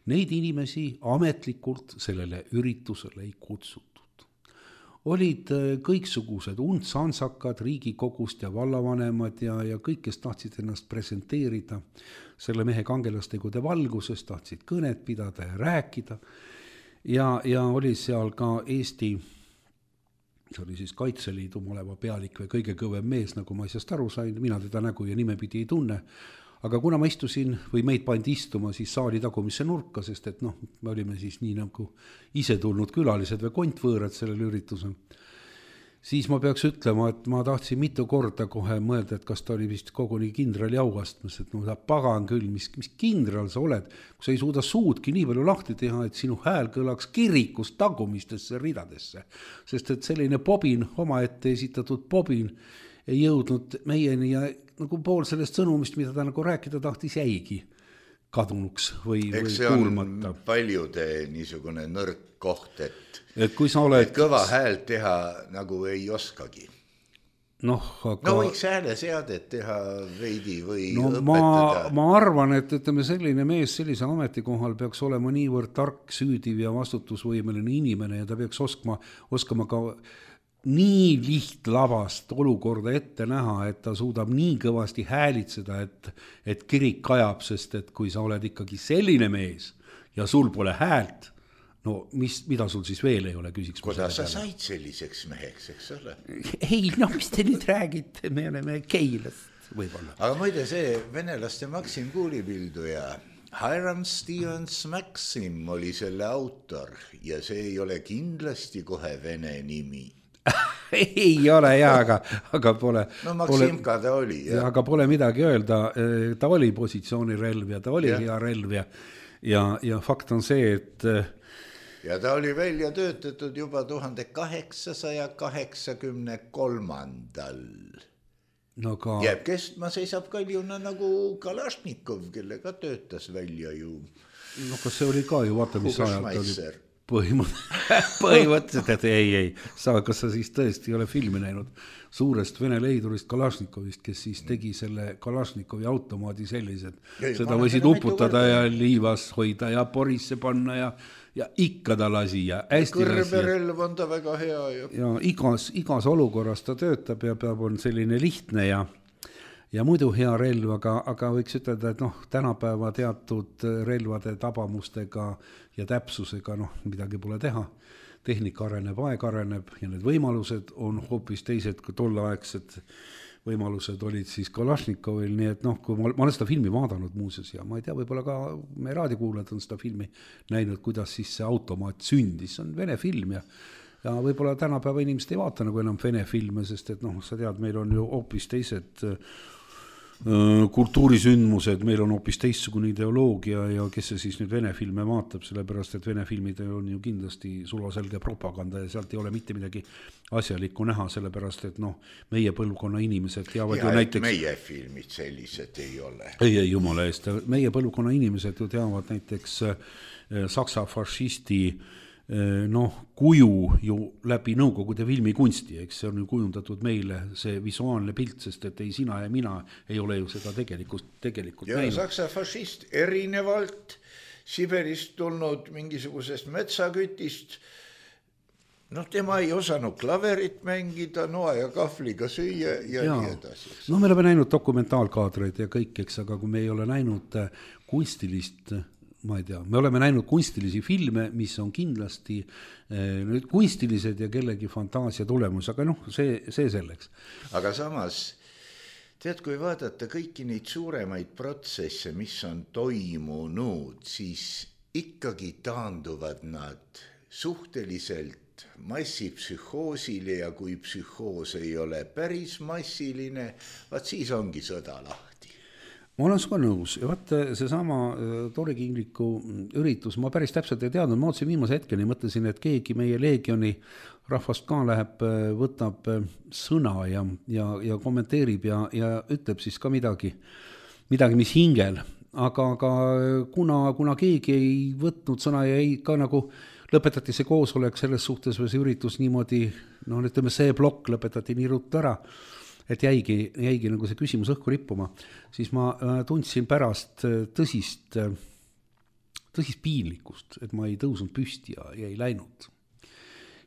neid inimesi ametlikult sellele üritusele ei kutsutud. Olid kõiksugused untsansakad riigikogust ja vallavanemad ja kõik, kes tahtsid ennast presenteerida selle mehe kangelastegude valguses, tahtsid kõnet pidada ja rääkida. Ja oli seal ka Eesti see oli siis Kaitseliidu maleva pealik või kõige kõvem mees, nagu ma asjast aru sain, mina teda nägu ja nimepidi ei tunne, aga kuna ma istusin või meid pandi istuma siis saali tagumisse nurka, sest et noh, me olime siis nii nagu ise tulnud külalised või kontvõõrad sellel üritusel, siis ma peaks ütlema, et ma tahtsin mitu korda kohe mõelda, et kas ta oli vist koguni kindrali auastmes, et no ta pagan küll, mis kindral sa oled, kui sa ei suuda suudki nii palju lahti teha, et sinu hääl kõlaks kirikust tagumistesse ridadesse, sest et selline bobin, omaette esitatud bobin ei jõudnud meieni ja nagu pool sellest sõnumist, mida ta nagu rääkida tahtis, jäigi kadunuks või kuulmata. Eks see on paljude niisugune nõrk koht, et kui sa oled... et kõva häält teha nagu ei oskagi. No võiks hääleseadet teha veidi või õpetada. Ma arvan, et ütleme, selline mees sellise ametikohal peaks olema niivõrd tark, süüdiv ja vastutusvõimeline inimene ja ta peaks oskama ka nii lihtlabast olukorda ette näha, et ta suudab nii kõvasti häälitseda, et kirik kajab, sest et kui sa oled ikkagi selline mees ja sul pole häält, no mida sul siis veel ei ole, küsiks. Kuidas sa said selliseks meheks, eks ole? Ei, no mis te nüüd räägite, me oleme Keilast võib-olla. Aga muide see venelaste Maksim kuulipilduja, Hiram Stevens Maxim oli selle autor ja see ei ole kindlasti kohe vene nimi. Ei ole jah, aga pole... No Maksimka ta oli. Aga pole midagi öelda, ta oli positsioonirelv ja ta oli hea relv ja fakt on see, et... Ja ta oli välja töötatud juba 1883. No ka... Jääb kestma, seisab kaljuna nagu Kalašnikov, kelle ka töötas välja ju. No kas see oli ka ju, vaata mis ajalt oli... Põhimõtteliselt, et ei, kas sa siis tõesti ei ole filmi näinud suurest vene leidurist Kalašnikovist, kes siis tegi selle Kalašnikovi automaadi sellised, seda võisid uputada ja liivas hoida ja porisse panna ja ikka ta lasi ja hästi kõrberelv on ta väga hea ja igas olukorras ta töötab ja peab on selline lihtne ja muidu hea relv, aga võiks ütelda, et noh, tänapäeva teatud relvade tabamustega ja täpsusega, noh, midagi pole teha. Tehnika areneb, aeg areneb ja need võimalused on hoopis teised, kui tolleaegsed võimalused olid siis Kalašnikovil, nii et noh, kui ma olen seda filmi vaadanud muuseas ja ma ei tea, võib-olla ka meie raadiokuulajad on seda filmi näinud, kuidas siis see automaat sündis, see on vene film ja võib-olla tänapäeva inimesed ei vaata nagu enam vene filme, sest et noh, sa tead, meil on ju hoopis teised kultuurisündmused, meil on hoopis teistsugune ideoloogia ja kes see siis nüüd vene filme vaatab, sellepärast et vene filmid on ju kindlasti sulaselge propaganda ja sealt ei ole mitte midagi asjalikku näha, sellepärast et noh, meie põlvkonna inimesed teavad ju näiteks... meie filmid sellised ei ole. Ei, jumala eest, meie põlvkonna inimesed ju teavad näiteks saksa fašisti kuju ju läbi Nõukogude filmikunsti, eks see on ju kujundatud meile see visuaalne pilt, sest et ei sina ja mina ei ole ju seda tegelikult ja näinud. Saksa fašist erinevalt Siberist tulnud mingisugusest metsakütist, noh, tema ei osanud klaverit mängida, noa ja kahvliga süüa ja nii edasi. No me oleme näinud dokumentaalkaadreid ja kõik, eks, aga kui me ei ole näinud kunstilist... ma ei tea, me oleme näinud kunstilisi filme, mis on kindlasti kunstilised ja kellegi fantaasia tulemus, aga noh, see selleks. Aga samas, tead, kui vaadata kõiki neid suuremaid protsesse, mis on toimunud, siis ikkagi taanduvad nad suhteliselt massipsühhoosile ja kui psühhoos ei ole päris massiline, vaat siis ongi sõda lahti. Ma olen suga nõus ja vaata seesama Tori Kingliku üritus, ma päris täpselt ei teadnud, ma otsin viimase hetkeni, mõtlesin, et keegi meie leegioni rahvast ka läheb, võtab sõna ja kommenteerib ja ütleb siis ka midagi, mis hingel, aga kuna keegi ei võtnud sõna ja ei ka nagu lõpetati see koosolek selles suhtes või see üritus niimoodi, noh, ütleme see plokk lõpetati nii ruttu ära, et jäigi nagu see küsimus õhku rippuma, siis ma tundsin pärast tõsist piinlikkust, et ma ei tõusnud püsti ja ei läinud.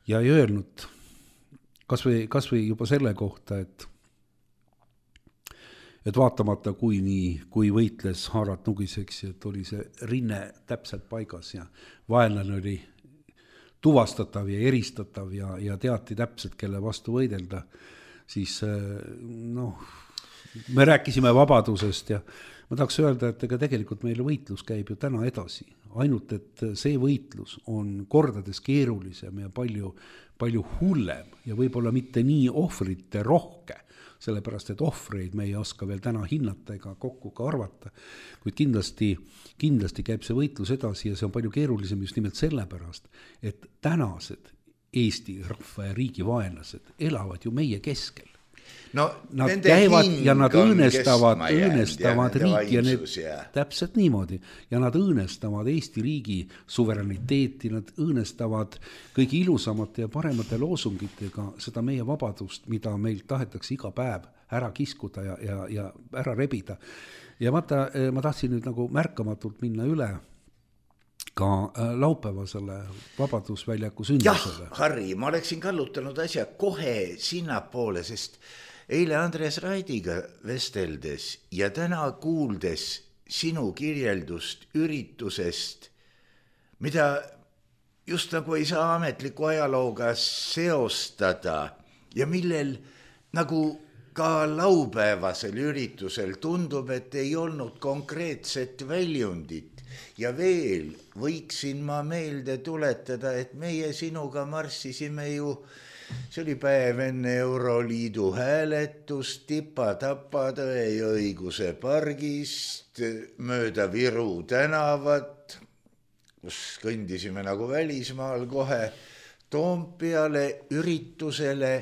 Ja ei öelnud, kas või juba selle kohta, et vaatamata kui võitles Haarat nugiseks, et oli see rinne täpselt paigas ja vaenlane oli tuvastatav ja eristatav ja teati täpselt, kelle vastu võidelda, siis me rääkisime vabadusest ja ma tahaks öelda, et ega tegelikult meil võitlus käib ju täna edasi, ainult et see võitlus on kordades keerulisem ja palju hullem ja võib-olla mitte nii ohvrite rohke, sellepärast et ohvreid me ei oska veel täna hinnata ega kokku ka arvata, kuid kindlasti käib see võitlus edasi ja see on palju keerulisem just nimelt sellepärast, et tänased Eesti rahva ja riigi vaenlased elavad ju meie keskel. No, nad käivad ja nad õõnestavad riiki ja need, täpselt niimoodi, ja nad õõnestavad Eesti riigi suverääniteeti, nad õõnestavad kõigi ilusamate ja paremate loosungitega seda meie vabadust, mida meil tahetakse iga päev ära kiskuda ja ära rebida. Ja vaata, ma tahtsin nüüd nagu märkamatult minna üle ka laupäevasele Vabadusväljaku sündmusele. Jah, Harri, ma oleksin kallutanud asja kohe sinna poole, sest eile Andres Raidiga vesteldes ja täna kuuldes sinu kirjeldust üritusest, mida just nagu ei saa ametliku ajalooga seostada ja millel nagu ka laupäevasel üritusel tundub, et ei olnud konkreetset väljundit. Ja veel võiksin ma meelde tuletada, et meie sinuga marssisime ju, see oli päev enne Euroliidu hääletust Tipa-Tapa Tõe ja õiguse pargist mööda Viru tänavat, kus kõndisime nagu välismaal kohe Toompeale üritusele,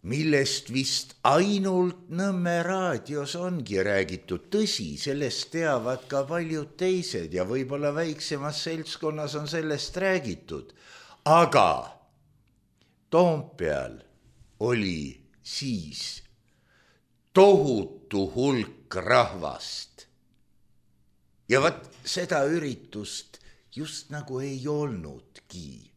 millest vist ainult Nõmme raadios ongi räägitud. Tõsi, sellest teavad ka paljud teised ja võib-olla väiksemas seltskonnas on sellest räägitud. Aga Toompeal oli siis tohutu hulk rahvast. Ja vaat seda üritust just nagu ei olnudki.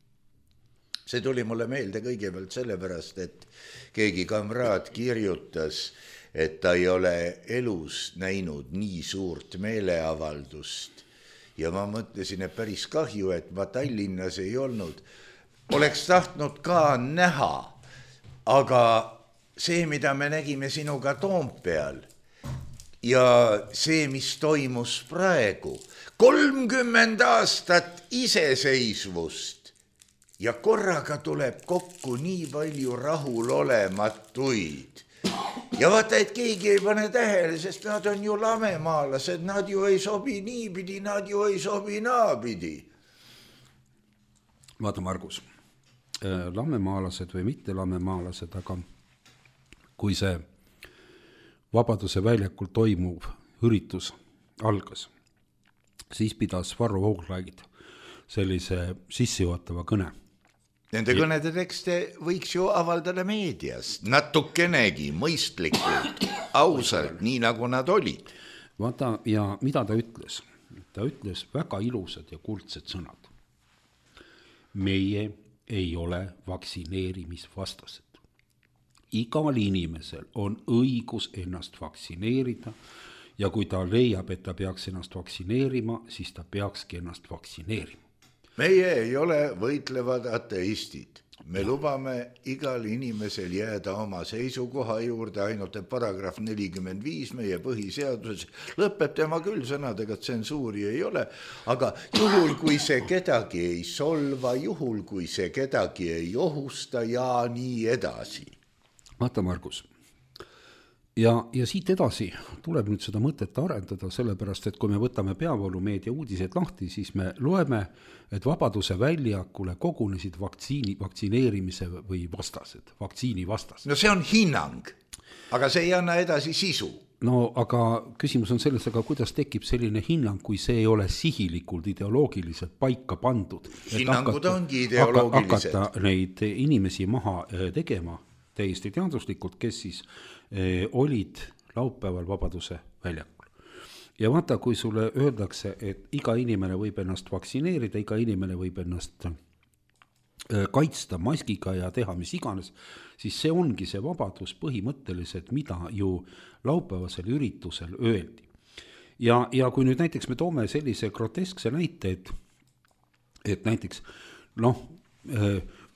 See tuli mulle meelde kõigepealt sellepärast, et keegi kamraad kirjutas, et ta ei ole elus näinud nii suurt meeleavaldust. Ja ma mõtlesin, et päris kahju, et ma Tallinnas ei olnud. Oleks tahtnud ka näha, aga see, mida me nägime sinuga Toompeal ja see, mis toimus praegu, 30 aastat iseseisvust, ja korraga tuleb kokku nii palju rahulolematuid. Ja vaata, et keegi ei pane tähele, sest nad on ju lamemaalased, nad ju ei sobi niipidi, nad ju ei sobi naapidi. Vaata, Margus, lamemaalased või mitte lamemaalased, aga kui see Vabaduse väljakul toimuv üritus algas, siis pidas Varro Vooglaid sellise sissejuhatava kõne. Nende kõnede tekste võiks ju avaldada meedias, natukenegi mõistlikult, ausalt, nii nagu nad olid. Vaata, ja mida ta ütles? Ta ütles väga ilusad ja kuldsed sõnad. Meie ei ole vaktsineerimisvastased. Igal inimesel on õigus ennast vaktsineerida ja kui ta leiab, et ta peaks ennast vaktsineerima, siis ta peakski ennast vaktsineerima. Meie ei ole võitlevad ateistid. Me lubame igal inimesel jääda oma seisukoha juurde, ainult et paragrahv 45 meie põhiseaduses lõpeb tema küll sõnadega, et tsensuuri ei ole, aga juhul, kui see kedagi ei solva, juhul, kui see kedagi ei ohusta ja nii edasi. Vaata, Margus, ja siit edasi tuleb nüüd seda mõtet arendada, sellepärast, et kui me võtame peavoolumeedia uudised lahti, siis me loeme, et Vabaduse väljakule kogunesid vaktsineerimise või vastased, vaktsiini vastased. No see on hinnang, aga see ei anna edasi sisu. No aga küsimus on selles, aga kuidas tekib selline hinnang, kui see ei ole sihilikult ideoloogiliselt paika pandud. Hinnangud ongi ideoloogilised. Hakata neid inimesi maha tegema täiesti teaduslikult, kes siis olid laupäeval Vabaduse väljakul. Ja vaata, kui sulle öeldakse, et iga inimene võib ennast vaktsineerida, iga inimene võib ennast kaitsta maskiga ja teha mis iganes, siis see ongi see vabadus põhimõtteliselt, mida ju laupäevasel üritusel öeldi. Ja kui nüüd näiteks me toome sellise groteskse näite, et näiteks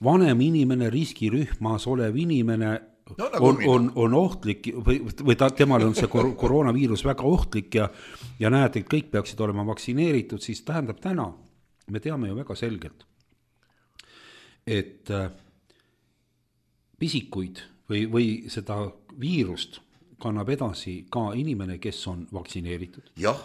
vanem inimene, riskirühmas olev inimene No, nagu on ohtlik või temal on see koroonaviirus väga ohtlik ja näed, et kõik peaksid olema vaktsineeritud, siis tähendab täna, me teame ju väga selgelt, et pisikuid või seda viirust kannab edasi ka inimene, kes on vaktsineeritud. Jah,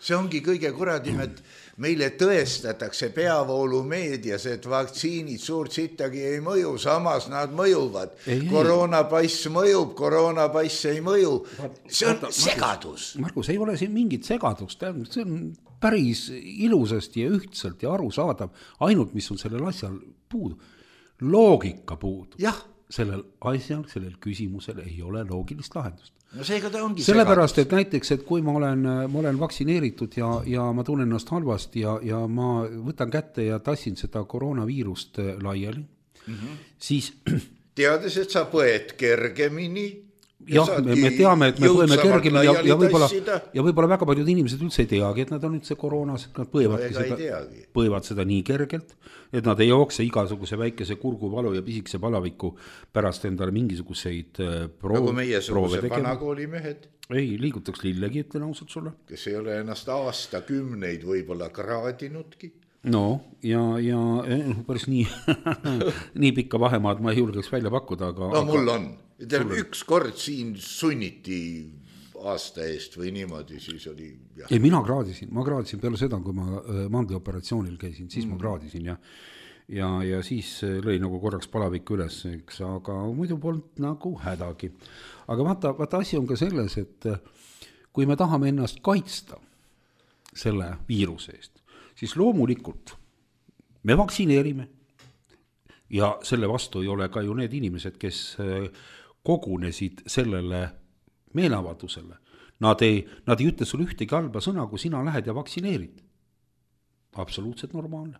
see ongi kõige kuradim, et meile tõestatakse peavoolumeedias, et vaktsiinid suurt sittagi ei mõju, samas nad mõjuvad. Koroonapass mõjub, koroonapass ei mõju. See on segadus. Margus, ei ole siin mingit segadust, see on päris ilusasti ja ühtselt ja arusaadav, ainult mis on sellel asjal puudu. Loogika puudu. Jah. Sellel asjal, sellel küsimusel ei ole loogilist lahendust. No seega ta ongi sellepärast, et näiteks, et kui ma olen vaktsineeritud ja ma tunnen ennast halvasti ja ma võtan kätte ja tassin seda koroonaviirust laiali, siis teades, et sa põed kergemini. Jah, me teame, et me põeme kergemini ja võib-olla väga paljud inimesed üldse ei teagi, et nad on üldse koroonas, nad põevad seda nii kergelt, et nad ei jookse igasuguse väikese kurguvalu ja pisikese palaviku pärast endale mingisuguseid nagu meiesuguse vanakoolimehed. Ei, liigutaks lillegi, ütlen ausalt sulle. Kes ei ole ennast aastakümneid võib-olla kraadinudki. No, ja päris nii pikka vahemaad ma ei julgeks välja pakkuda, aga... No mul on. Üks kord siin sunniti aasta eest või niimoodi, siis oli... Ja. Ei, ma kraadisin peale seda, kui ma mandlioperatsioonil käisin, siis ma kraadisin ja siis lõi nagu korraks palavik üles, eks, aga muidu polnud nagu hädagi. Aga vaata asi on ka selles, et kui me tahame ennast kaitsta selle viiruse eest, siis loomulikult me vaktsineerime ja selle vastu ei ole ka ju need inimesed, kes kogunesid sellele meeleavaldusele. Nad ei ütle sulle ühtegi halba sõna, kui sina lähed ja vaktsineerid. Absoluutselt normaalne.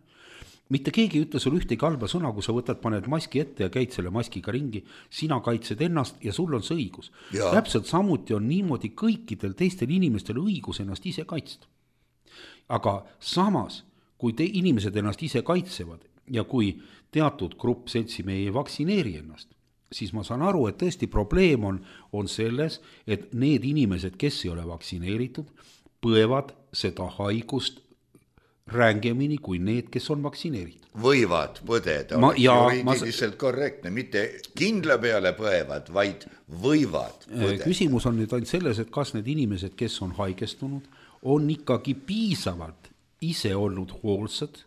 Mitte keegi ei ütle sulle ühtegi halba sõna, kui sa paned maski ette ja käid selle maskiga ringi, sina kaitsed ennast ja sul on see õigus. Ja. Täpselt samuti on niimoodi kõikidel teistel inimestel õigus ennast ise kaitsta. Aga samas, kui inimesed ennast ise kaitsevad ja kui teatud grupp seltsimehi ei vaktsineeri ennast, siis ma saan aru, et tõesti probleem on selles, et need inimesed, kes ei ole vaktsineeritud, põevad seda haigust rängemini kui need, kes on vaktsineeritud. Võivad põdeda, juriidiliselt korrektne, mitte kindla peale põevad, vaid võivad põdeda. Küsimus on nüüd ainult selles, et kas need inimesed, kes on haigestunud, on ikkagi piisavalt ise olnud hoolsad,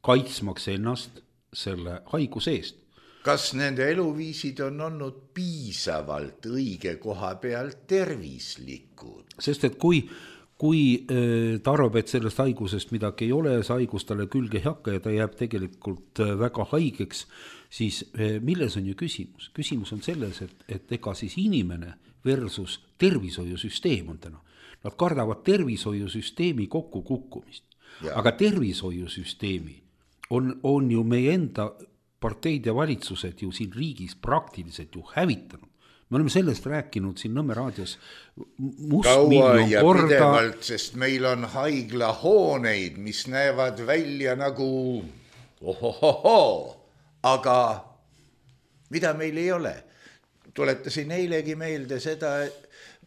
kaitsmaks ennast selle haiguse eest. Kas nende eluviisid on olnud piisavalt õige koha peal tervislikud? Sest et kui ta arvab, et sellest haigusest midagi ei ole, see haigus talle külge ei hakka ja ta jääb tegelikult väga haigeks, siis milles on ju küsimus? Küsimus on selles, et ega siis inimene versus tervishoiusüsteem on täna. Nad kardavad tervishoiusüsteemi kokku kukkumist. Aga tervishoiusüsteemi on ju meie enda parteid ja valitsused ju siin riigis praktiliselt ju hävitanud. Me oleme sellest rääkinud siin Nõmme raadios kaua ja pidevalt, sest meil on haiglahooneid, mis näevad välja nagu aga mida meil ei ole. Tuletasin eilegi meelde seda,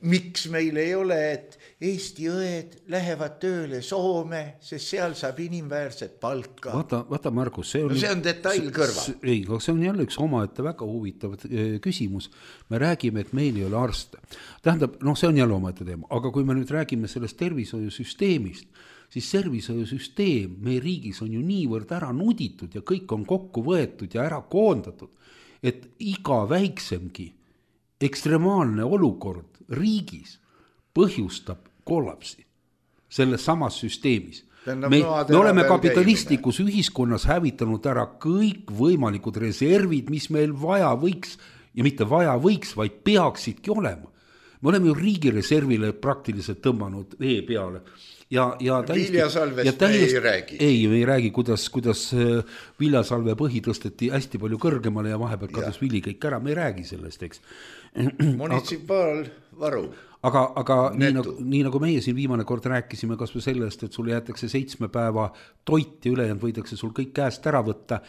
miks meil ei ole, et Eesti õed lähevad tööle Soome, sest seal saab inimväärset palka. Vaata Margus, see on detail kõrval. Ei, see on jälle üks omaette väga huvitav küsimus. Me räägime, et meil ei ole arste. Tähendab, see on jälle omaette teema, aga kui me nüüd räägime sellest tervishoiusüsteemist, siis tervishoiusüsteem meie riigis on ju niivõrd ära nuditud ja kõik on kokku võetud ja ära koondatud, et iga väiksemgi ekstremaalne olukord riigis põhjustab kollapsi selles samas süsteemis. Me oleme kapitalistlikus ühiskonnas hävitanud ära kõik võimalikud reservid, mis meil vaja võiks, ja mitte vaja võiks, vaid peaksidki olema. Me oleme ju riigireservile praktiliselt tõmbanud vee peale. Viljasalvest me ei räägi. Ei, me ei räägi, kuidas viljasalve põhi tõsteti hästi palju kõrgemale ja vahepeal kadus vili kõik ära, me ei räägi sellest, eks. Munitsipaalvaru. aga nii nagu meie siin viimane kord rääkisime kas või sellest, et sul jäetakse 7 päeva toit ja ülejäänud võidakse sul kõik käest ära võtta,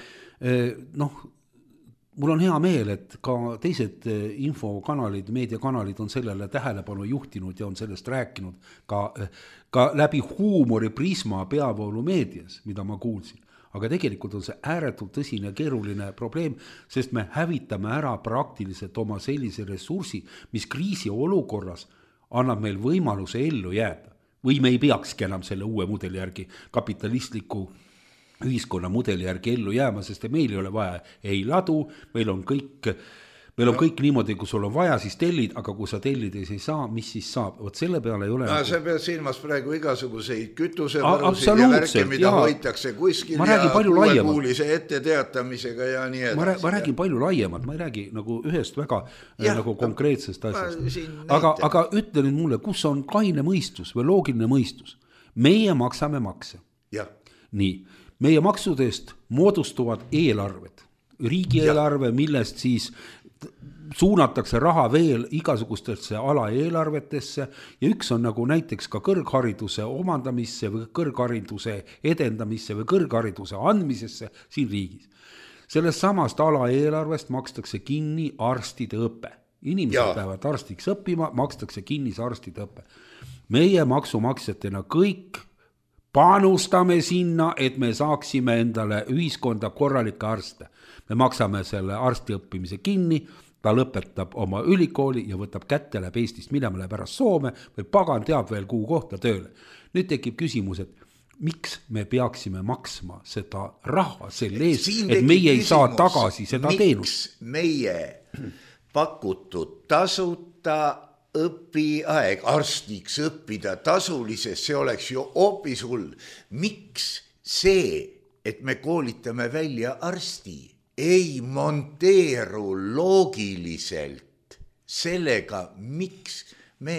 mul on hea meel, et ka teised infokanalid, meediakanalid on sellele tähelepanu juhtinud ja on sellest rääkinud ka läbi huumoriprisma peavoolumeedias, mida ma kuulsin. Aga tegelikult on see ääretult tõsine keeruline probleem, sest me hävitame ära praktiliselt oma sellise ressursi, mis kriisi olukorras annab meil võimaluse ellu jääda. Või me ei peakski enam selle uue mudeli järgi, kapitalistliku ühiskonna mudeli järgi ellu jääma, sest meil ei ole vaja ei ladu, meil on kõik niimoodi, kui sul on vaja, siis tellid, aga kui sa tellides ei saa, mis siis saab? Vot selle peale ei ole... No, sa pead silmas praegu igasuguseid kütusevarusid ja värke, mida hoitakse kuskil ja kuulekuulise etteteatamisega ja nii edasi. Ma räägin palju laiemalt, ma ei räägi nagu ühest väga nagu konkreetsest asjast. Aga ütle nüüd mulle, kus on kaine mõistus või loogiline mõistus? Meie maksame makse. Nii, meie maksudest moodustuvad eelarved, riigieelarve, millest siis suunatakse raha veel igasugustesse alaeelarvetesse ja üks on nagu näiteks ka kõrghariduse omandamisse või kõrghariduse edendamisse või kõrghariduse andmisesse siin riigis. Sellest samast alaeelarvest makstakse kinni arstide õpe. Inimesed peavad arstiks õppima, makstakse kinni see arstide õpe. Meie maksumaksjatena kõik panustame sinna, et me saaksime endale ühiskonda korralikke arste. Me maksame selle arsti õppimise kinni, ta lõpetab oma ülikooli ja võtab kätte läheb Eestist minema, läheb ära Soome või pagan teab veel kuhu kohta tööle. Nüüd tekib küsimus, et miks me peaksime maksma seda raha selle eest, et meie ei saa tagasi seda teenust? Miks meie pakutud tasuta õpiaeg arstiks õppida tasulises, see oleks ju hoopis hull. Miks see, et me koolitame välja arsti, ei monteeru loogiliselt sellega, miks me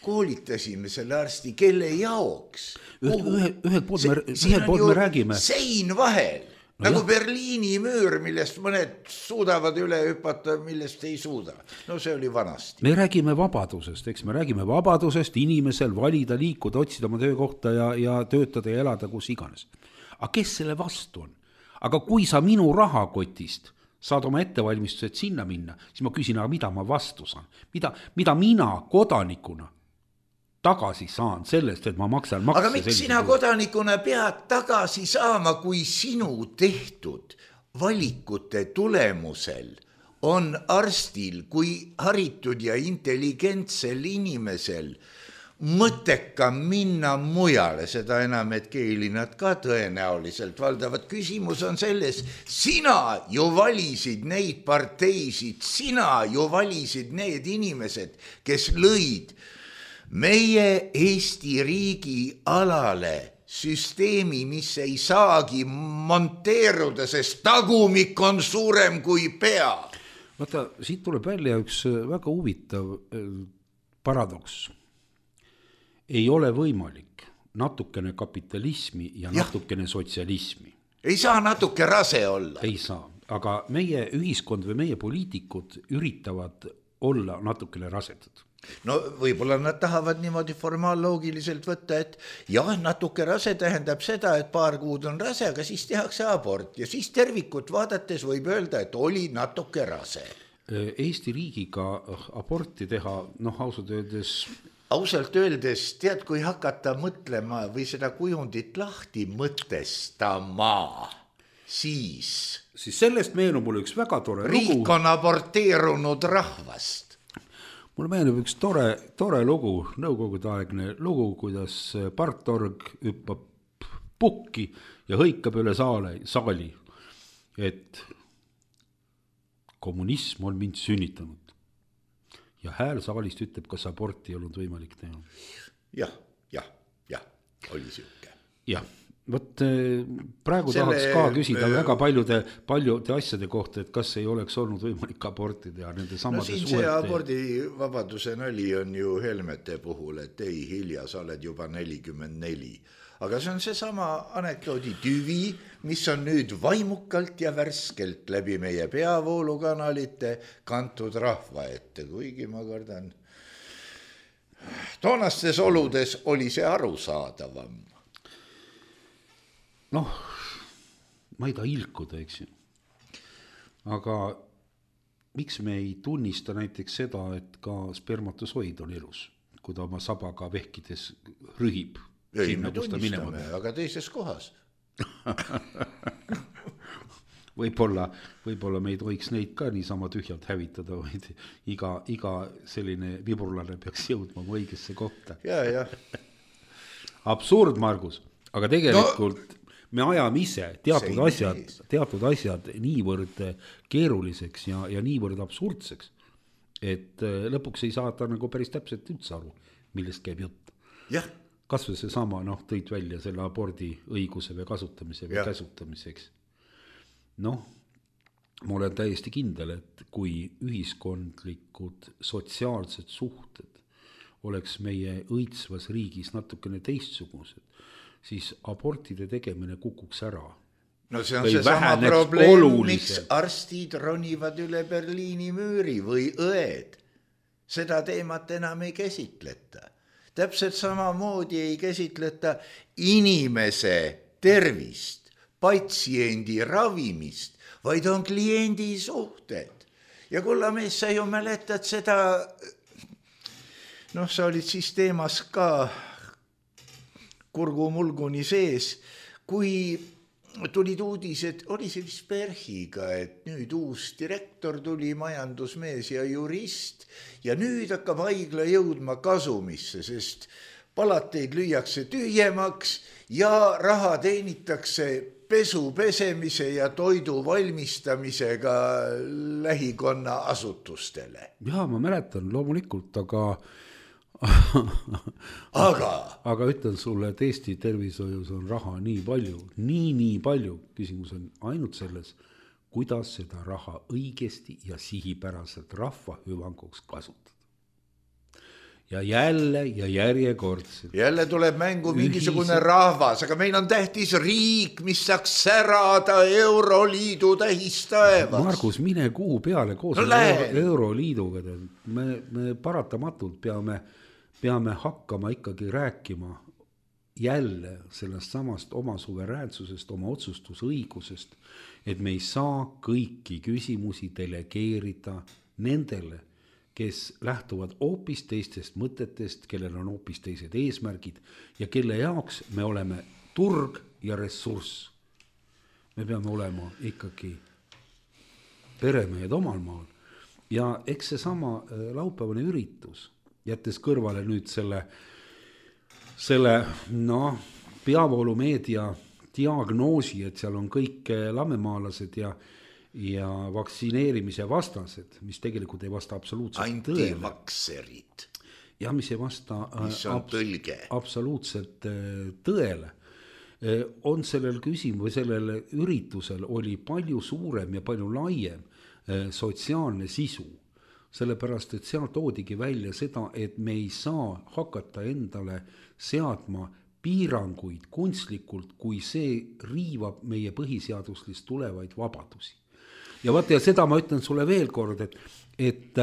koolitasime selle arsti, kelle jaoks? Ühelt poolt me räägime. Sein vahel, nagu Berliini müür, millest mõned suudavad üle hüpata, millest ei suuda. No see oli vanasti. Me räägime vabadusest, eks me räägime vabadusest inimesel valida, liikuda, otsida oma töökohta ja töötada ja elada kus iganes. Aga kes selle vastu on? Aga kui sa minu rahakotist saad oma ettevalmistused sinna minna, siis ma küsin, aga mida ma vastu saan? Mida mina kodanikuna tagasi saan sellest, et ma maksan makse? Aga miks sina kodanikuna pead tagasi saama, kui sinu tehtud valikute tulemusel on arstil kui haritud ja intelligentsel inimesel mõttekam minna mujale, seda enam, et keelinad ka tõenäoliselt valdavad. Küsimus on selles, sina ju valisid neid parteisid, sina ju valisid need inimesed, kes lõid meie Eesti riigi alale süsteemi, mis ei saagi monteeruda, sest tagumik on suurem kui pea. Vaata, siit tuleb välja üks väga huvitav paradoks. Ei ole võimalik natukene kapitalismi ja natukene sotsialismi. Ei saa natuke rase olla. Ei saa, aga meie ühiskond või meie poliitikud üritavad olla natukene rasedad. No võib-olla nad tahavad niimoodi formaalloogiliselt võtta, et jah, natuke rase tähendab seda, et paar kuud on rase, aga siis tehakse abort ja siis tervikut vaadates võib öelda, et oli natuke rase. Eesti riigiga aborti teha, ausalt öeldes, tead, kui hakata mõtlema või seda kujundit lahti mõtestama, siis sellest meenub mul üks väga tore lugu. Riik on aborteerunud rahvast. Mulle meenub üks tore lugu, nõukogudeaegne lugu, kuidas partorg hüppab pukki ja hõikab üle saali, et kommunism on mind sünnitanud. Ja hääl saalist ütleb, kas aborti ei olnud võimalik teha. Jah, oli siuke. Jah, võt praegu tahaks ka küsida väga paljude asjade kohta, et kas ei oleks olnud võimalik aborti teha nende samade siin see abordivabaduse nali on ju Helmete puhul, et ei hilja, sa oled juba 44. Aga see on see sama anekdoodi tüvi, mis on nüüd vaimukalt ja värskelt läbi meie peavoolukanalite kantud rahva ette, kuigi ma kardan, toonastes oludes oli see arusaadavam. Noh, ma ei taha ilkuda, eks ju. Aga miks me ei tunnista näiteks seda, et ka spermatosoid on elus, kui ta oma sabaga vehkides rühib? Ei, me tunnistame, aga teises kohas. Võib-olla me ei tohiks neid ka niisama tühjalt hävitada, vaid iga selline viburlane peaks jõudma õigesse kohta. Ja. Absurd, Margus, aga tegelikult me ajame ise teatud asjad niivõrd keeruliseks ja niivõrd absurdseks, et lõpuks ei saa ta nagu päris täpselt üldse aru, millest käib jutt. Jah. Kas või see sama, tõid välja selle abordi õiguse või kasutamise või käsutamiseks. Ma olen täiesti kindel, et kui ühiskondlikud sotsiaalsed suhted oleks meie õitsvas riigis natukene teistsugused, siis abortide tegemine kukuks ära. No see on see sama probleem, miks arstid ronivad üle Berliini müüri või õed. Seda teemat enam ei käsitleta. Täpselt samamoodi ei käsitleta inimese tervist, patsiendi ravimist, vaid on kliendi suhted. Ja kullamees, sa ju mäletad seda, sa olid siis teemas ka kurgumulguni sees, kui tulid uudised, oli see vist Berhiga, et nüüd uus direktor tuli, majandusmees ja jurist, ja nüüd hakkab haigla jõudma kasumisse, sest palateid lüüakse tühjemaks ja raha teenitakse pesu pesemise ja toidu valmistamisega lähikonna asutustele. Jaa, ma mäletan loomulikult, aga ütlen sulle, et Eesti tervishoius on raha nii palju, nii palju. Küsimus on ainult selles, kuidas seda raha õigesti ja sihipäraselt rahva hüvanguks kasutada. Ja jälle ja järjekordselt. Jälle tuleb mängu mingisugune rahvas, aga meil on tähtis riik, mis saaks särada Euroliidu tähistaevaks. Margus, mine kuu peale koos Euroliiduga. Me paratamatult peame hakkama ikkagi rääkima jälle sellest samast oma suveräänsusest, oma otsustusõigusest, et me ei saa kõiki küsimusi delegeerida nendele, kes lähtuvad hoopis teistest mõtetest, kellel on hoopis teised eesmärgid ja kelle jaoks me oleme turg ja ressurss. Me peame olema ikkagi peremehed omal maal. Ja eks see sama laupäevane üritus, jättes kõrvale nüüd selle peavoolumeedia diagnoosi, et seal on kõik lammemaalased ja vaktsineerimise vastased, mis tegelikult ei vasta absoluutselt tõele. Antivakserid. Ja mis ei vasta absoluutselt tõele. On sellel või sellel üritusel oli palju suurem ja palju laiem sotsiaalne sisu. Sellepärast, et seal toodigi välja seda, et me ei saa hakata endale seadma piiranguid kunstlikult, kui see riivab meie põhiseaduslist tulevaid vabadusi. Ja vaata, ja seda ma ütlen sulle veel kord, et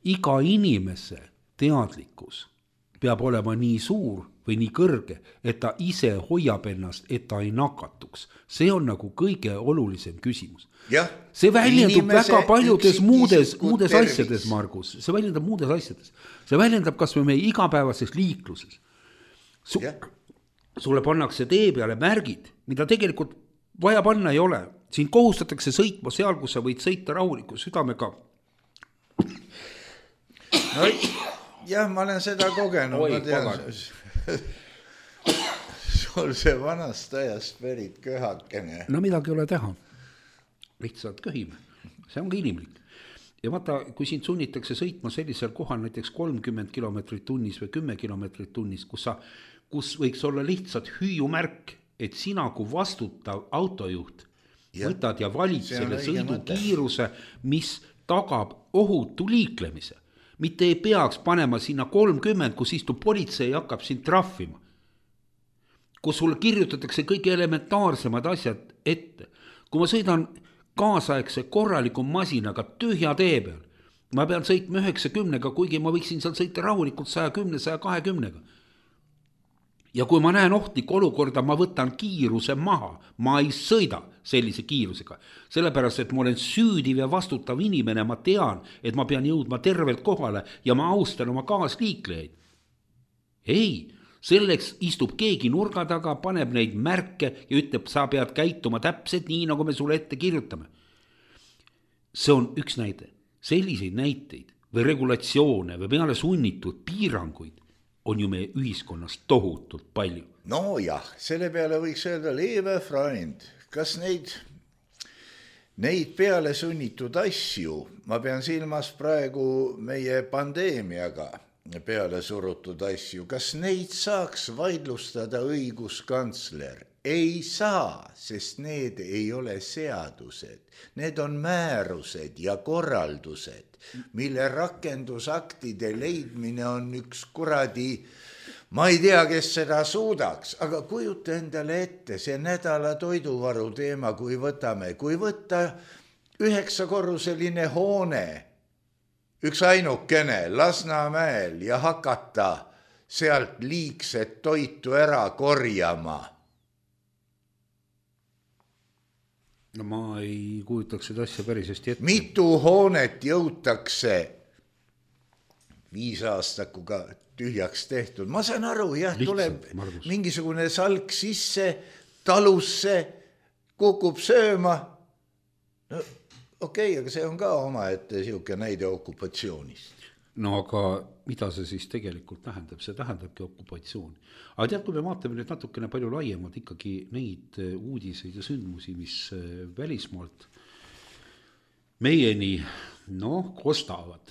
iga inimese teadlikkus peab olema nii suur või nii kõrge, et ta ise hoiab ennast, et ta ei nakatuks. See on nagu kõige olulisem küsimus. Ja, see väljendub väga paljudes muudes asjades, Margus. See väljendab muudes asjades. See väljendab kas või meie igapäevases liikluses. Sulle pannakse tee peale märgid, mida tegelikult vaja panna ei ole. Siin kohustatakse sõitma seal, kus sa võid sõita rahuliku südamega. Jah, ma olen seda kogenud. Ma tean, sul see vanast ajast pärit köhakene. No midagi ei ole teha. Lihtsalt köhime. See on ka inimlik. Ja vaata, kui sind sunnitakse sõitma sellisel kohal näiteks 30 kilomeetrit tunnis või 10 kilomeetrit tunnis, kus võiks olla lihtsalt hüüumärk, et sina kui vastutav autojuht võtad ja valid selle sõidukiiruse, mis tagab ohutu liiklemise. Mitte ei peaks panema sinna 30, kus istub politsei ja hakkab sind trahvima. Kus sulle kirjutatakse kõige elementaarsemad asjad ette. Kui ma sõidan kaasaegse korraliku masinaga tühja tee peal ma pean sõitma 90-ga, kuigi ma võiksin seal sõita rahulikult 110, 120-ga. Ja kui ma näen ohtlikku olukorda, ma võtan kiiruse maha, ma ei sõida sellise kiirusega. Sellepärast, et ma olen süüdiv ja vastutav inimene, ma tean, et ma pean jõudma tervelt kohale ja ma austan oma kaasliiklejaid. Ei, selleks istub keegi nurga taga, paneb neid märke ja ütleb, sa pead käituma täpselt nii, nagu me sulle ette kirjutame. See on üks näide. Selliseid näiteid või regulatsioone või peale sunnitud piiranguid on ju meie ühiskonnas tohutult palju. No jah, selle peale võiks öelda, liebe Freund, kas neid peale sunnitud asju, ma pean silmas praegu meie pandeemiaga peale surutud asju, kas neid saaks vaidlustada õiguskantsler? Ei saa, sest need ei ole seadused. Need on määrused ja korraldused, mille rakendusaktide leidmine on üks kuradi, ma ei tea, kes seda suudaks, aga kujuta endale ette see nädala toiduvaru teema, kui võtta 9-korruseline hoone, üks ainukene Lasnamäel ja hakata sealt liigset toitu ära korjama. No ma ei kujutaks seda asja päris hästi ette. Mitu hoonet jõutakse 5 aastakuga tühjaks tehtud. Ma saan aru, jah, tuleb mingisugune salk sisse, talusse, kukub sööma. No okei, aga see on ka omaette siuke näide okupatsioonist. No aga mida see siis tegelikult tähendab? See tähendabki okupatsiooni. Aga tead, kui me vaatame nüüd natukene palju laiemalt ikkagi neid uudiseid ja sündmusi, mis välismaalt meieni kostavad.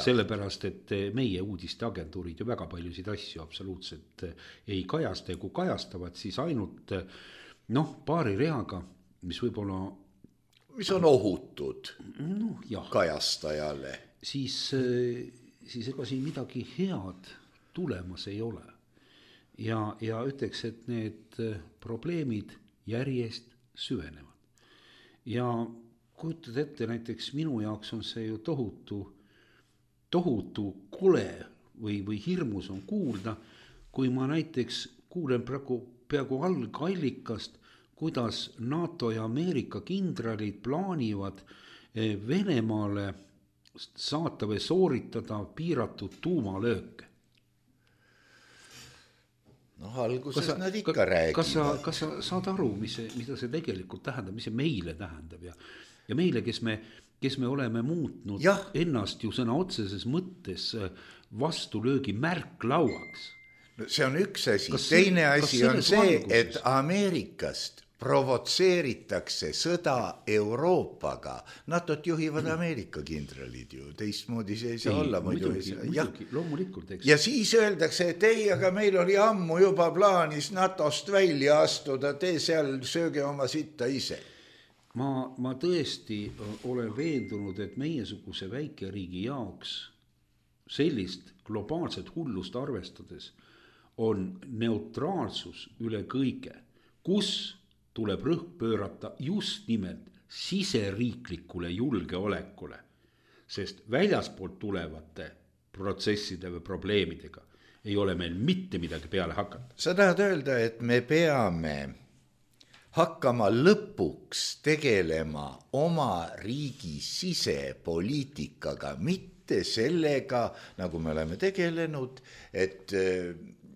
Sellepärast, et meie uudisteagentuurid ju väga paljusid asju absoluutselt ei kajasta ja kui kajastavad, siis ainult paari reaga, mis võib-olla mis on ohutud kajastajale. Siis ega siin midagi head tulemas ei ole. Ja ütleks, et need probleemid järjest süvenevad. Ja kujutad ette, näiteks minu jaoks on see ju tohutu kole või hirmus on kuulda, kui ma näiteks kuulen peaaegu algallikast, kuidas NATO ja Ameerika kindralid plaanivad Venemaale saata või sooritada piiratud tuumalööke. Alguses nad ikka räägivad. Kas sa saad aru, mida see tegelikult tähendab, mis see meile tähendab ja meile, kes me oleme muutnud ennast ju sõna otseses mõttes vastulöögi märklauaks. See on üks asi. Teine asi on see, et Ameerikast provotseeritakse sõda Euroopaga. NATO-t juhivad Ameerika kindralid ju, teistmoodi see ei saa olla. Loomulikult, eks. Ja siis öeldakse, et ei, aga meil oli ammu juba plaanis NATO-st välja astuda, te seal sööge oma sitta ise. Ma tõesti olen veendunud, et meiesuguse väikeriigi jaoks sellist globaalset hullust arvestades on neutraalsus üle kõige, kus tuleb rõhk pöörata just nimelt siseriiklikule julgeolekule, sest väljaspoolt tulevate protsesside või probleemidega ei ole meil mitte midagi peale hakata. Sa tahad öelda, et me peame hakkama lõpuks tegelema oma riigi sisepoliitikaga, mitte sellega, nagu me oleme tegelenud, et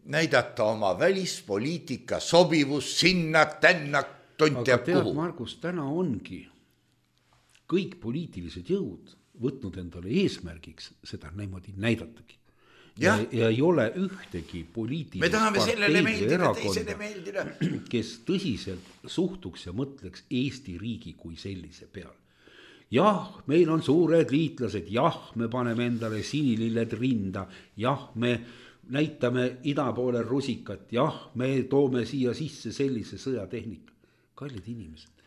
näidata oma välispoliitika sobivus sinna, tänna, tont ja kuhu. Aga tead, Margus, täna ongi kõik poliitilised jõud võtnud endale eesmärgiks seda niimoodi näidatagi. Ja ei ole ühtegi poliitilist parteid või erakonda, kes tõsiselt suhtuks ja mõtleks Eesti riigi kui sellise peal. Jah, meil on suured liitlased, me paneme endale sinililled rinda, me näitame ida poole rusikat, me toome siia sisse sellise sõjatehnika. Kallid inimesed,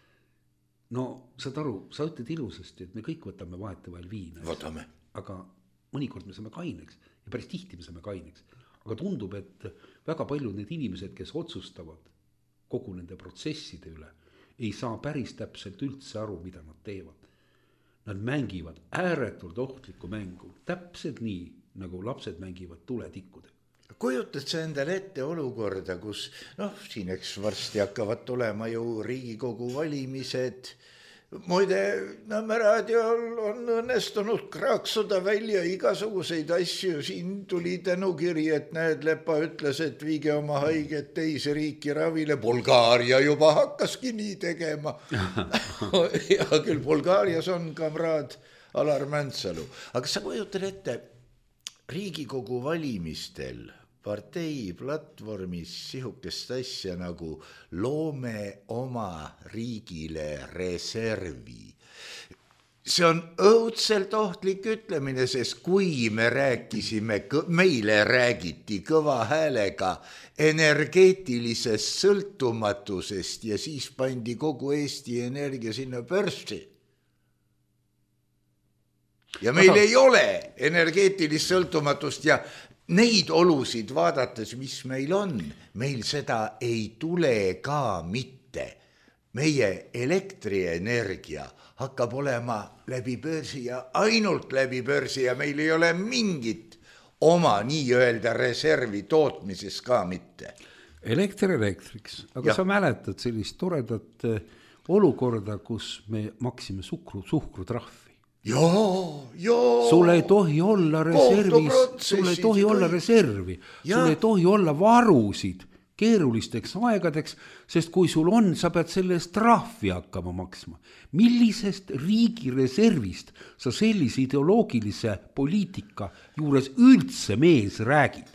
saad aru, sa ütled ilusasti, et me kõik võtame vahetevahel viina. Võtame. Aga mõnikord me saame kaineks ja päris tihti me saame kaineks. Aga tundub, et väga paljud need inimesed, kes otsustavad kogu nende protsesside üle, ei saa päris täpselt üldse aru, mida nad teevad. nad mängivad ääretult ohtlikku mängu, täpselt nii, nagu lapsed mängivad tuletikkude. Kujutad sa endale ette olukorda, kus siin eks varsti hakkavad tulema ju Riigikogu valimised. Muide, Nõmme raadiol on õnnestunud kraaksuda välja igasuguseid asju. Siin tuli tänukiri, et näed, Lepa ütles, et viige oma haiget teise riiki ravile. Bulgaaria juba hakkaski nii tegema. Ja küll Bulgaarias on kamraad Alar Mäntsalu. Aga sa kujutad ette, Riigikogu valimistel partei platvormis sihukest asja nagu loome oma riigile reservi. See on õudselt ohtlik ütlemine, sest kui me rääkisime, meile räägiti kõva häälega energeetilisest sõltumatusest ja siis pandi kogu Eesti Energia sinna börsi. Ja meil ei ole energeetilist sõltumatust ja neid olusid vaadates, mis meil on, meil seda ei tule ka mitte. Meie elektrienergia hakkab olema läbi börsi ja ainult läbi börsi ja meil ei ole mingit oma nii-öelda reservi tootmises ka mitte. Elektriks, aga sa mäletad sellist toredat olukorda, kus me maksime suhkrutrahvi. Sul ei tohi olla reservis, sul ei tohi olla reservi, sul ei tohi olla varusid keerulisteks aegadeks, sest kui sul on, sa pead selle eest trahvi hakkama maksma. Millisest riigi reservist sa sellise ideoloogilise poliitika juures üldse mees räägid?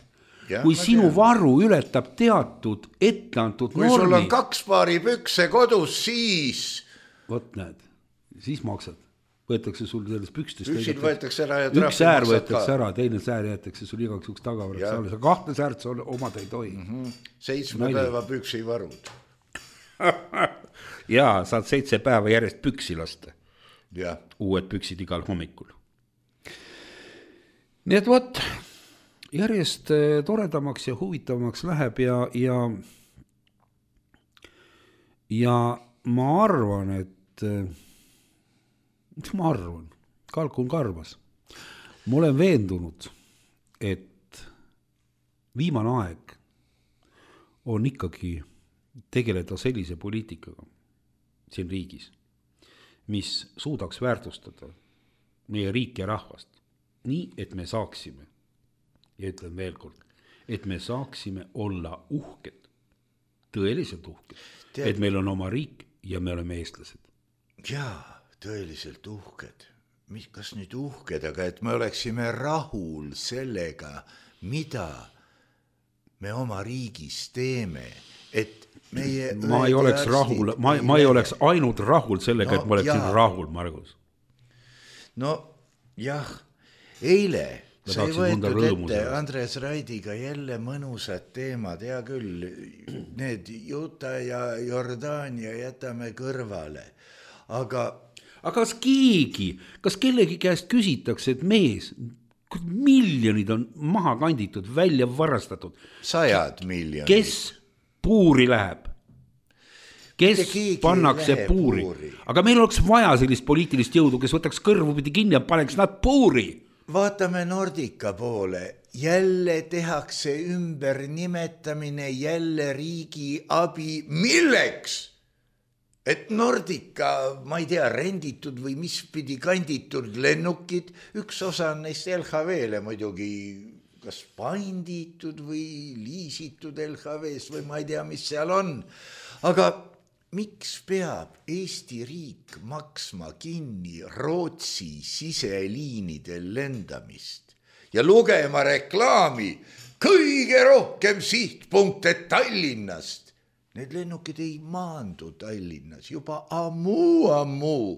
Kui sinu varu ületab teatud etteantud normi. Kui sul on 2 paari pükse kodus, siis... Vot näed, siis maksad. Võetakse sul sellest pükstest. Püksid võetakse ära ja trahvi maksad ka. Üks säär võetakse ära, teine säär jäetakse sul igaks juks tagavaraks. Sa 2 säärt omad ei tohi. 7 päeva püksi varud. Jaa, saad 7 päeva järjest püksi lasta. Ja. Uued püksid igal hommikul. Nii et võt, järjest toredamaks ja huvitavamaks läheb ja ma arvan, et kalkun karvas. Ma olen veendunud, et viimane aeg on ikkagi tegeleda sellise poliitikaga siin riigis, mis suudaks väärtustada meie riik ja rahvast nii, et me saaksime, ja ütlen veel kord, et me saaksime olla uhked, tõeliselt uhked, et meil on oma riik ja me oleme eestlased. Jaa, tõeliselt uhked. Kas nüüd uhked, aga et me oleksime rahul sellega, mida me oma riigis teeme, et meie... Ma ei oleks rahul, ma ei oleks ainult rahul sellega, et ma oleksin rahul, Margus. No jah, eile sai võetud ette Andres Raidiga jälle mõnusad teemad, hea küll, need Juta ja Jordaania jätame kõrvale, aga kas kellegi käest küsitakse, et mees, miljonid on maha kanditud, välja varastatud. 100 miljonid. Kes puuri läheb? Kes pannakse puuri? Aga meil oleks vaja sellist poliitilist jõudu, kes võtaks kõrvupidi kinni ja paneks nad puuri. Vaatame Nordica poole. Jälle tehakse ümber nimetamine, jälle riigi abi. Milleks? Et Nordica, ma ei tea, renditud või mis pidi kanditud lennukid, üks osa on neist LHV-le muidugi kas panditud või liisitud LHV-st või ma ei tea, mis seal on. Aga miks peab Eesti riik maksma kinni Rootsi siseliinidel lendamist ja lugema reklaami kõige rohkem sihtpunkte Tallinnast? Need lennukid ei maandu Tallinnas juba ammu.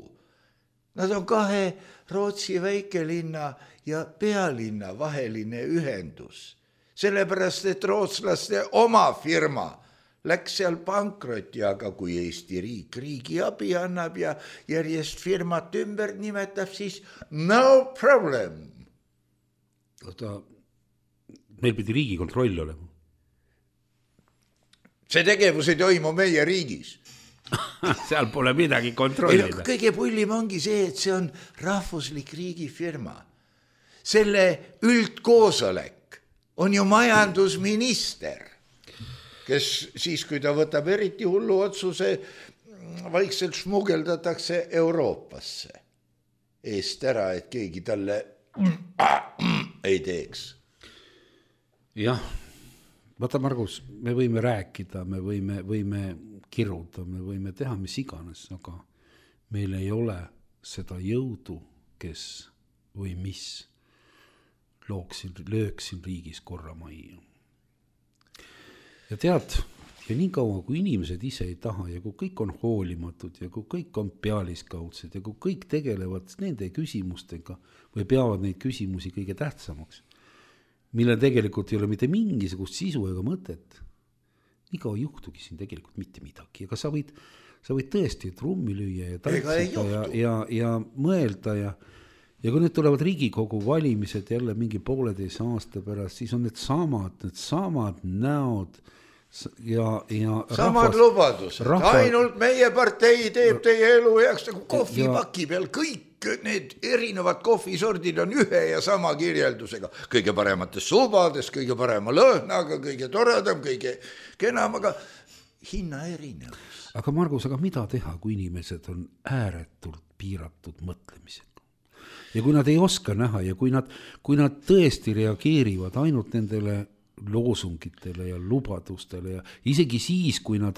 Nad on 2 Rootsi väikelinna ja pealinna vaheline ühendus. Sellepärast, et rootslaste oma firma läks seal pankroti, aga kui Eesti riik riigi abi annab ja järjest firmat ümber nimetab, siis no problem. Meil pidi riigi kontroll olema. See tegevus ei toimu meie riigis. seal pole midagi kontrollida. Kõige pullim ongi see, et see on rahvuslik riigifirma. Selle üldkoosolek on ju majandusminister, kes siis, kui ta võtab eriti hullu otsuse, vaikselt šmugeldatakse Euroopasse eest ära, et keegi talle ei teeks. Jah, vaata Margus, me võime rääkida, me võime kiruda, me võime teha mis iganes, aga meil ei ole seda jõudu, kes või mis lööksin riigis korra majja. Ja tead, ja nii kaua, kui inimesed ise ei taha ja kui kõik on hoolimatud ja kui kõik on pealiskaudsed ja kui kõik tegelevad nende küsimustega või peavad neid küsimusi kõige tähtsamaks, mille tegelikult ei ole mitte mingisugust sisu ega mõtet, nii kaua juhtugi siin tegelikult mitte midagi. Aga sa võid tõesti trummi lüüa ja tantsida ja mõelda ja kui nüüd tulevad Riigikogu valimised jälle mingi 1,5 aasta pärast, siis on need samad näod ja samad lubadused. Ainult meie partei teeb teie elu heaks nagu kohvipaki peal. Kõik need erinevad kohvisordid on ühe ja sama kirjeldusega. Kõige paremates subades, kõige parema lõhnaga, kõige toredam, kõige kenam, aga hinna erinevus. Aga Margus, aga mida teha, kui inimesed on ääretult piiratud mõtlemisega? Ja kui nad ei oska näha ja kui nad tõesti reageerivad ainult nendele loosungitele ja lubadustele ja isegi siis, kui nad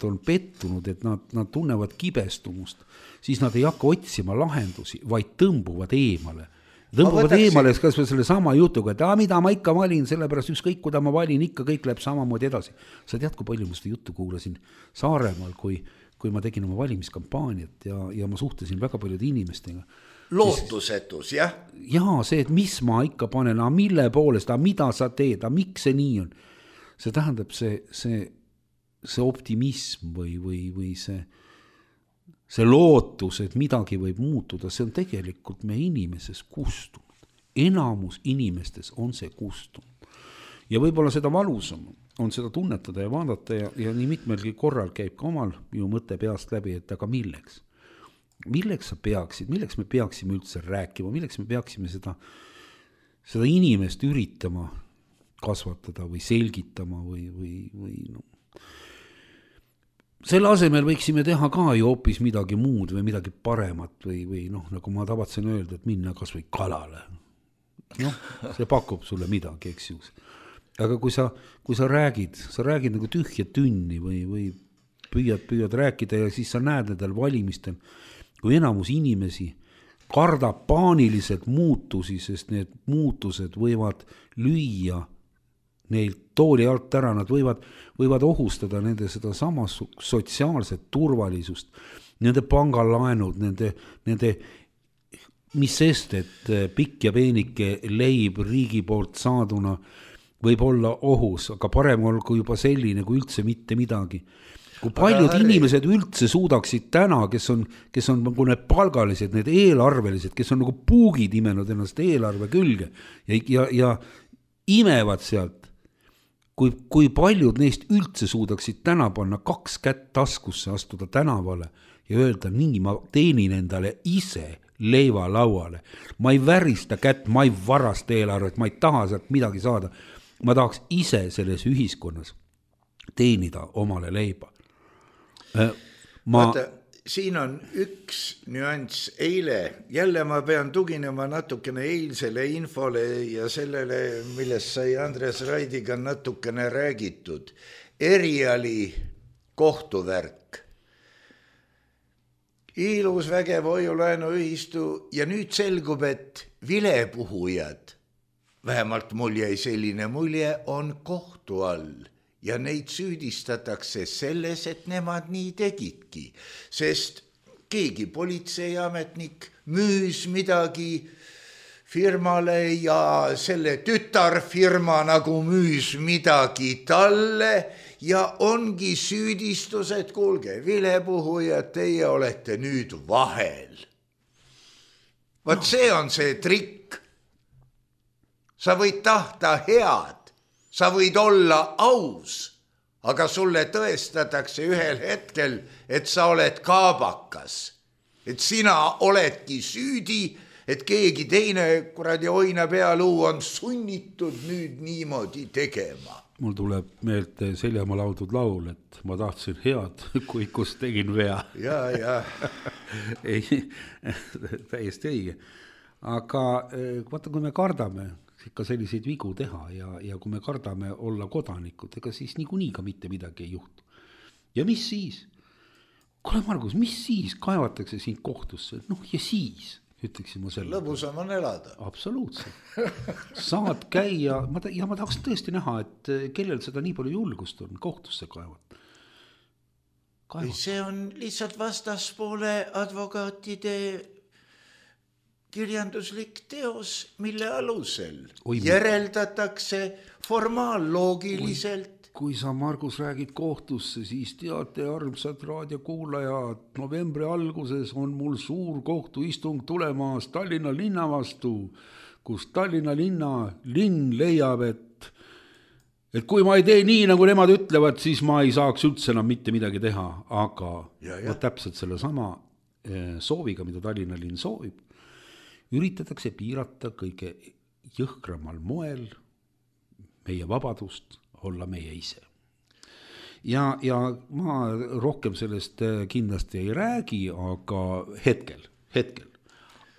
on pettunud, et nad tunnevad kibestumust, siis nad ei hakka otsima lahendusi, vaid tõmbuvad eemale. Kas või selle sama jutuga, et mida ma ikka valin, sellepärast ükskõik, kuda ma valin, ikka kõik läheb samamoodi edasi. Sa tead, kui palju ma seda juttu kuulasin Saaremaal, kui ma tegin oma valimiskampaaniat ja ma suhtlesin väga paljude inimestega. Lootusetus, jah? Jaa, see, et mis ma ikka panen, mille poolest, mida sa teed, miks see nii on. See tähendab see optimism või see lootus, et midagi võib muutuda, see on tegelikult meie inimeses kustunud. Enamus inimestes on see kustunud. Ja võib-olla seda valusam on seda tunnetada ja vaadata ja nii mitmelgi korral käib ka omal ju mõte peast läbi, et aga milleks? Milleks me peaksime üldse rääkima, milleks me peaksime seda inimest üritama kasvatada või selgitama või no. Selle asemel võiksime teha ka ju hoopis midagi muud või midagi paremat või noh, nagu ma tavatsen öelda, et minna kas või kalale. Noh, see pakub sulle midagi, eks ju. Aga kui sa räägid nagu tühja tünni või püüad rääkida ja siis sa näed nendel valimistel, kui enamus inimesi kardab paaniliselt muutusi, sest need muutused võivad lüüa neil tooli alt ära, nad võivad ohustada nende seda sama sotsiaalset turvalisust, nende pangalaenud, nende mis sest, et pikk ja peenike leib riigi poolt saaduna võib olla ohus, aga parem olgu juba selline kui üldse mitte midagi. Kui paljud inimesed üldse suudaksid täna, kes on nagu need palgalised, need eelarvelised, kes on nagu puugid imenud ennast eelarve külge ja imevad sealt, kui paljud neist üldse suudaksid täna panna 2 kätt taskusse, astuda tänavale ja öelda, nii ma teenin endale ise leiva lauale. Ma ei värista kätt, ma ei varasta eelarvet, ma ei taha sealt midagi saada. Ma tahaks ise selles ühiskonnas teenida omale leiba. Vaata, siin on üks nüanss. Eile, jälle ma pean tuginema natukene eilsele infole ja sellele, millest sai Andres Raidiga natukene räägitud. Eriali kohtuvärk. Ilus vägev hoiulaenuühistu ja nüüd selgub, et vilepuhujad, vähemalt mul jäi selline mulje, on kohtu all ja neid süüdistatakse selles, et nemad nii tegidki, sest keegi politseiametnik müüs midagi firmale ja selle tütarfirma nagu müüs midagi talle ja ongi süüdistus, et kuulge, vilepuhujad, teie olete nüüd vahel. Vaat see on see trikk. Sa võid tahta head, sa võid olla aus, aga sulle tõestatakse ühel hetkel, et sa oled kaabakas, et sina oledki süüdi, et keegi teine kuradi oina pealuu on sunnitud nüüd niimoodi tegema. Mul tuleb meelde Seljamaa laudud laul, et ma tahtsin head, kui kus tegin vea. Ja. Ei, täiesti õige. Aga vaata, kui me kardame ikka selliseid vigu teha ja kui me kardame olla kodanikud, ega siis niikuinii ka mitte midagi ei juhtu. Ja mis siis? Kuule, Margus, mis siis? Kaevatakse sind kohtusse. Noh, ja siis ütleksin ma selle. Lõbusam on elada. Absoluutselt. Saad käia, ja ma tahaks tõesti näha, et kellel seda nii palju julgust on kohtusse kaevata. See on lihtsalt vastaspoole advokaatide kirjanduslik teos, mille alusel järeldatakse formaalloogiliselt. Kui sa, Margus, räägid kohtusse, siis teate, armsad raadiokuulajad, novembri alguses on mul suur kohtuistung tulemas Tallinna linna vastu, kus Tallinna linn leiab, et kui ma ei tee nii, nagu nemad ütlevad, siis ma ei saaks üldse enam mitte midagi teha, aga täpselt selle sama sooviga, mida Tallinna linn soovib, üritatakse piirata kõige jõhkramal moel meie vabadust olla meie ise. Ja ma rohkem sellest kindlasti ei räägi, aga hetkel.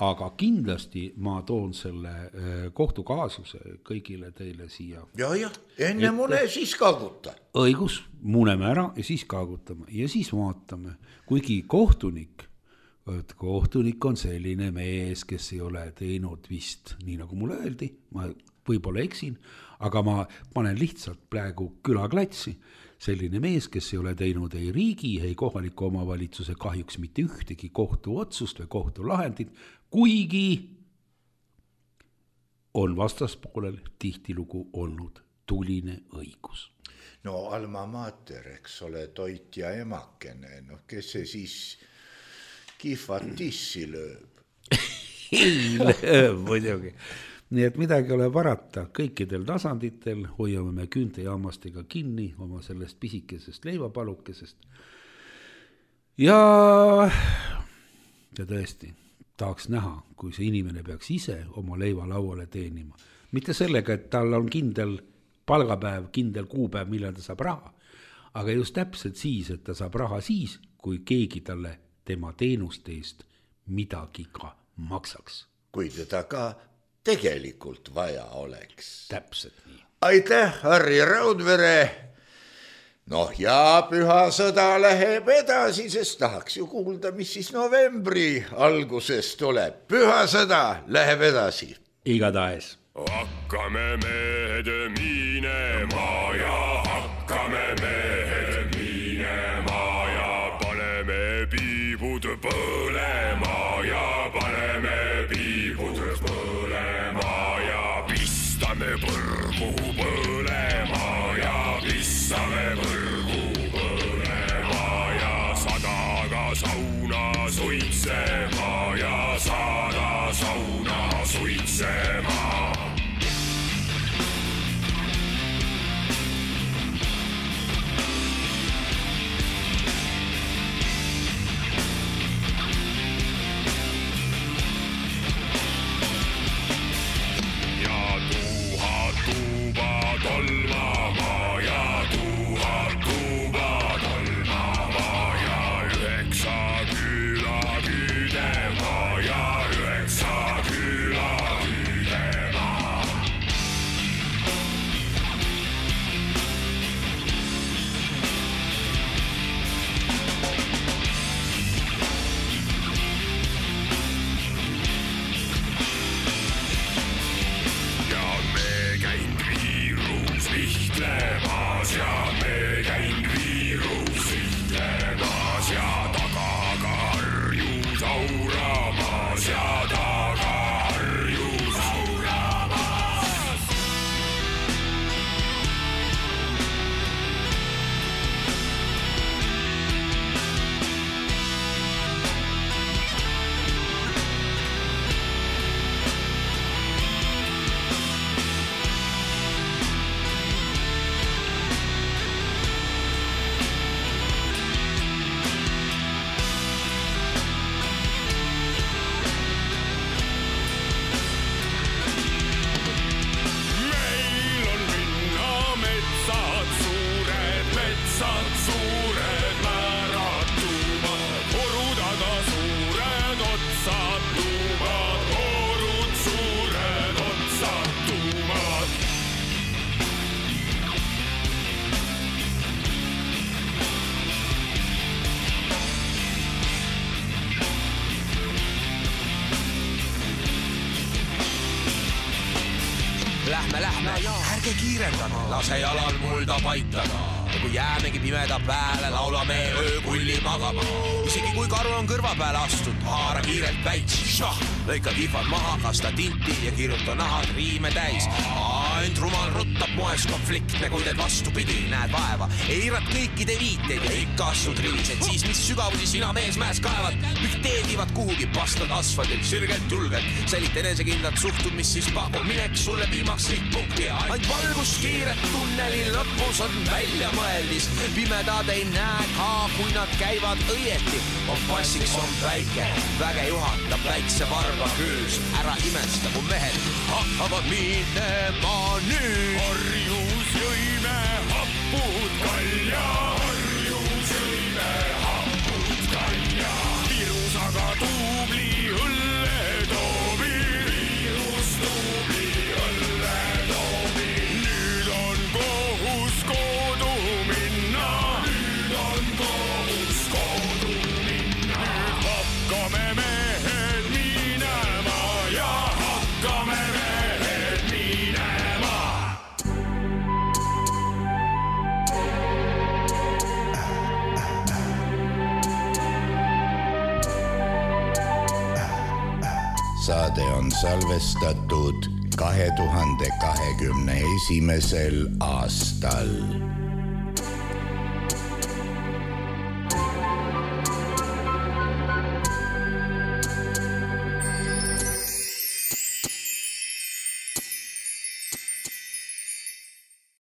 Aga kindlasti ma toon selle kohtukaasuse kõigile teile siia. Ja, enne mune siis kaaguta. Õigus, muneme ära ja siis kaagutame. Ja siis vaatame, kuigi kohtunik on selline mees, kes ei ole teinud vist, nii nagu mulle öeldi, ma võib-olla eksin, aga ma panen lihtsalt praegu külaklatsi, selline mees, kes ei ole teinud ei riigi, ei kohaliku omavalitsuse kahjuks mitte ühtegi kohtuotsust või kohtulahendit, kuigi on vastaspoolel tihtilugu olnud tuline õigus. No alma mater, eks ole, toit ja emakene, kes see siis kihvat tissi lööb? Ei lööb, muidugi. Nii et midagi ole parata, kõikidel tasanditel hoiame me küüntejaamastega kinni oma sellest pisikesest leivapalukesest. Ja tõesti, tahaks näha, kui see inimene peaks ise oma leiva lauale teenima. Mitte sellega, et tal on kindel palgapäev, kindel kuupäev, millal ta saab raha, aga just täpselt siis, et ta saab raha siis, kui keegi talle tema teenuste eest midagi ka maksaks. Kui teda ka tegelikult vaja oleks. Täpselt nii. Aitäh, Harri Raudvere. Ja püha sõda läheb edasi, sest tahaks ju kuulda, mis siis novembri alguses tuleb. Püha sõda läheb edasi. Igatahes. Hakkame mehed minema ja hakkame mehed minema ja paneme piibud põlema ja paneme piibud põlema ja pistame põrgu põlema ja pistame põrgu põlema ja sadaga sauna suitsema ja sada sauna suitsema. lähme, ärge kiirendame, lase jalal mulda paitada. Ja kui jäämegi pimeda pääle, laulame öökulli magama. Isegi kui karu on kõrva peale astud, haara kiirelt väits. Lõika kihvad maha, kasta tinti ja kirjuta nahad riime täis. Ainult rumal ruttab moes konfliktne, kui teed vastupidi, näed vaeva. Eirad kõikide viiteid ja ikka astud rivised. Siis mis sügavusi sina mees mäes kaevad, teedivad kuhugi, pastad asfaldil, sirgelt julgelt. Sälit enesekindlat suhtud, mis siis pakub mineks sulle viimaks sihtpunkti. Ainult valgus kiiret tunneli lõpus on välja mõeldis. Pimedad ei näe ka, kui nad käivad õieti. Kompassiks on päike, väge juhatab väikse varba küüs. Ära imesta, mu mehed hakkavad minema nüüd. Harjus jõime hapud kalja, harjus jõime hapud kalja. Virus aga tuubli õlle toobi, virus tuubli õlle toobi. Nüüd on kohus kodu minna, nüüd on kohus kodu minna. Nüüd hakkame mehed minema ja hakkame mehed minema. Saade on salvestatud 2021. aastal.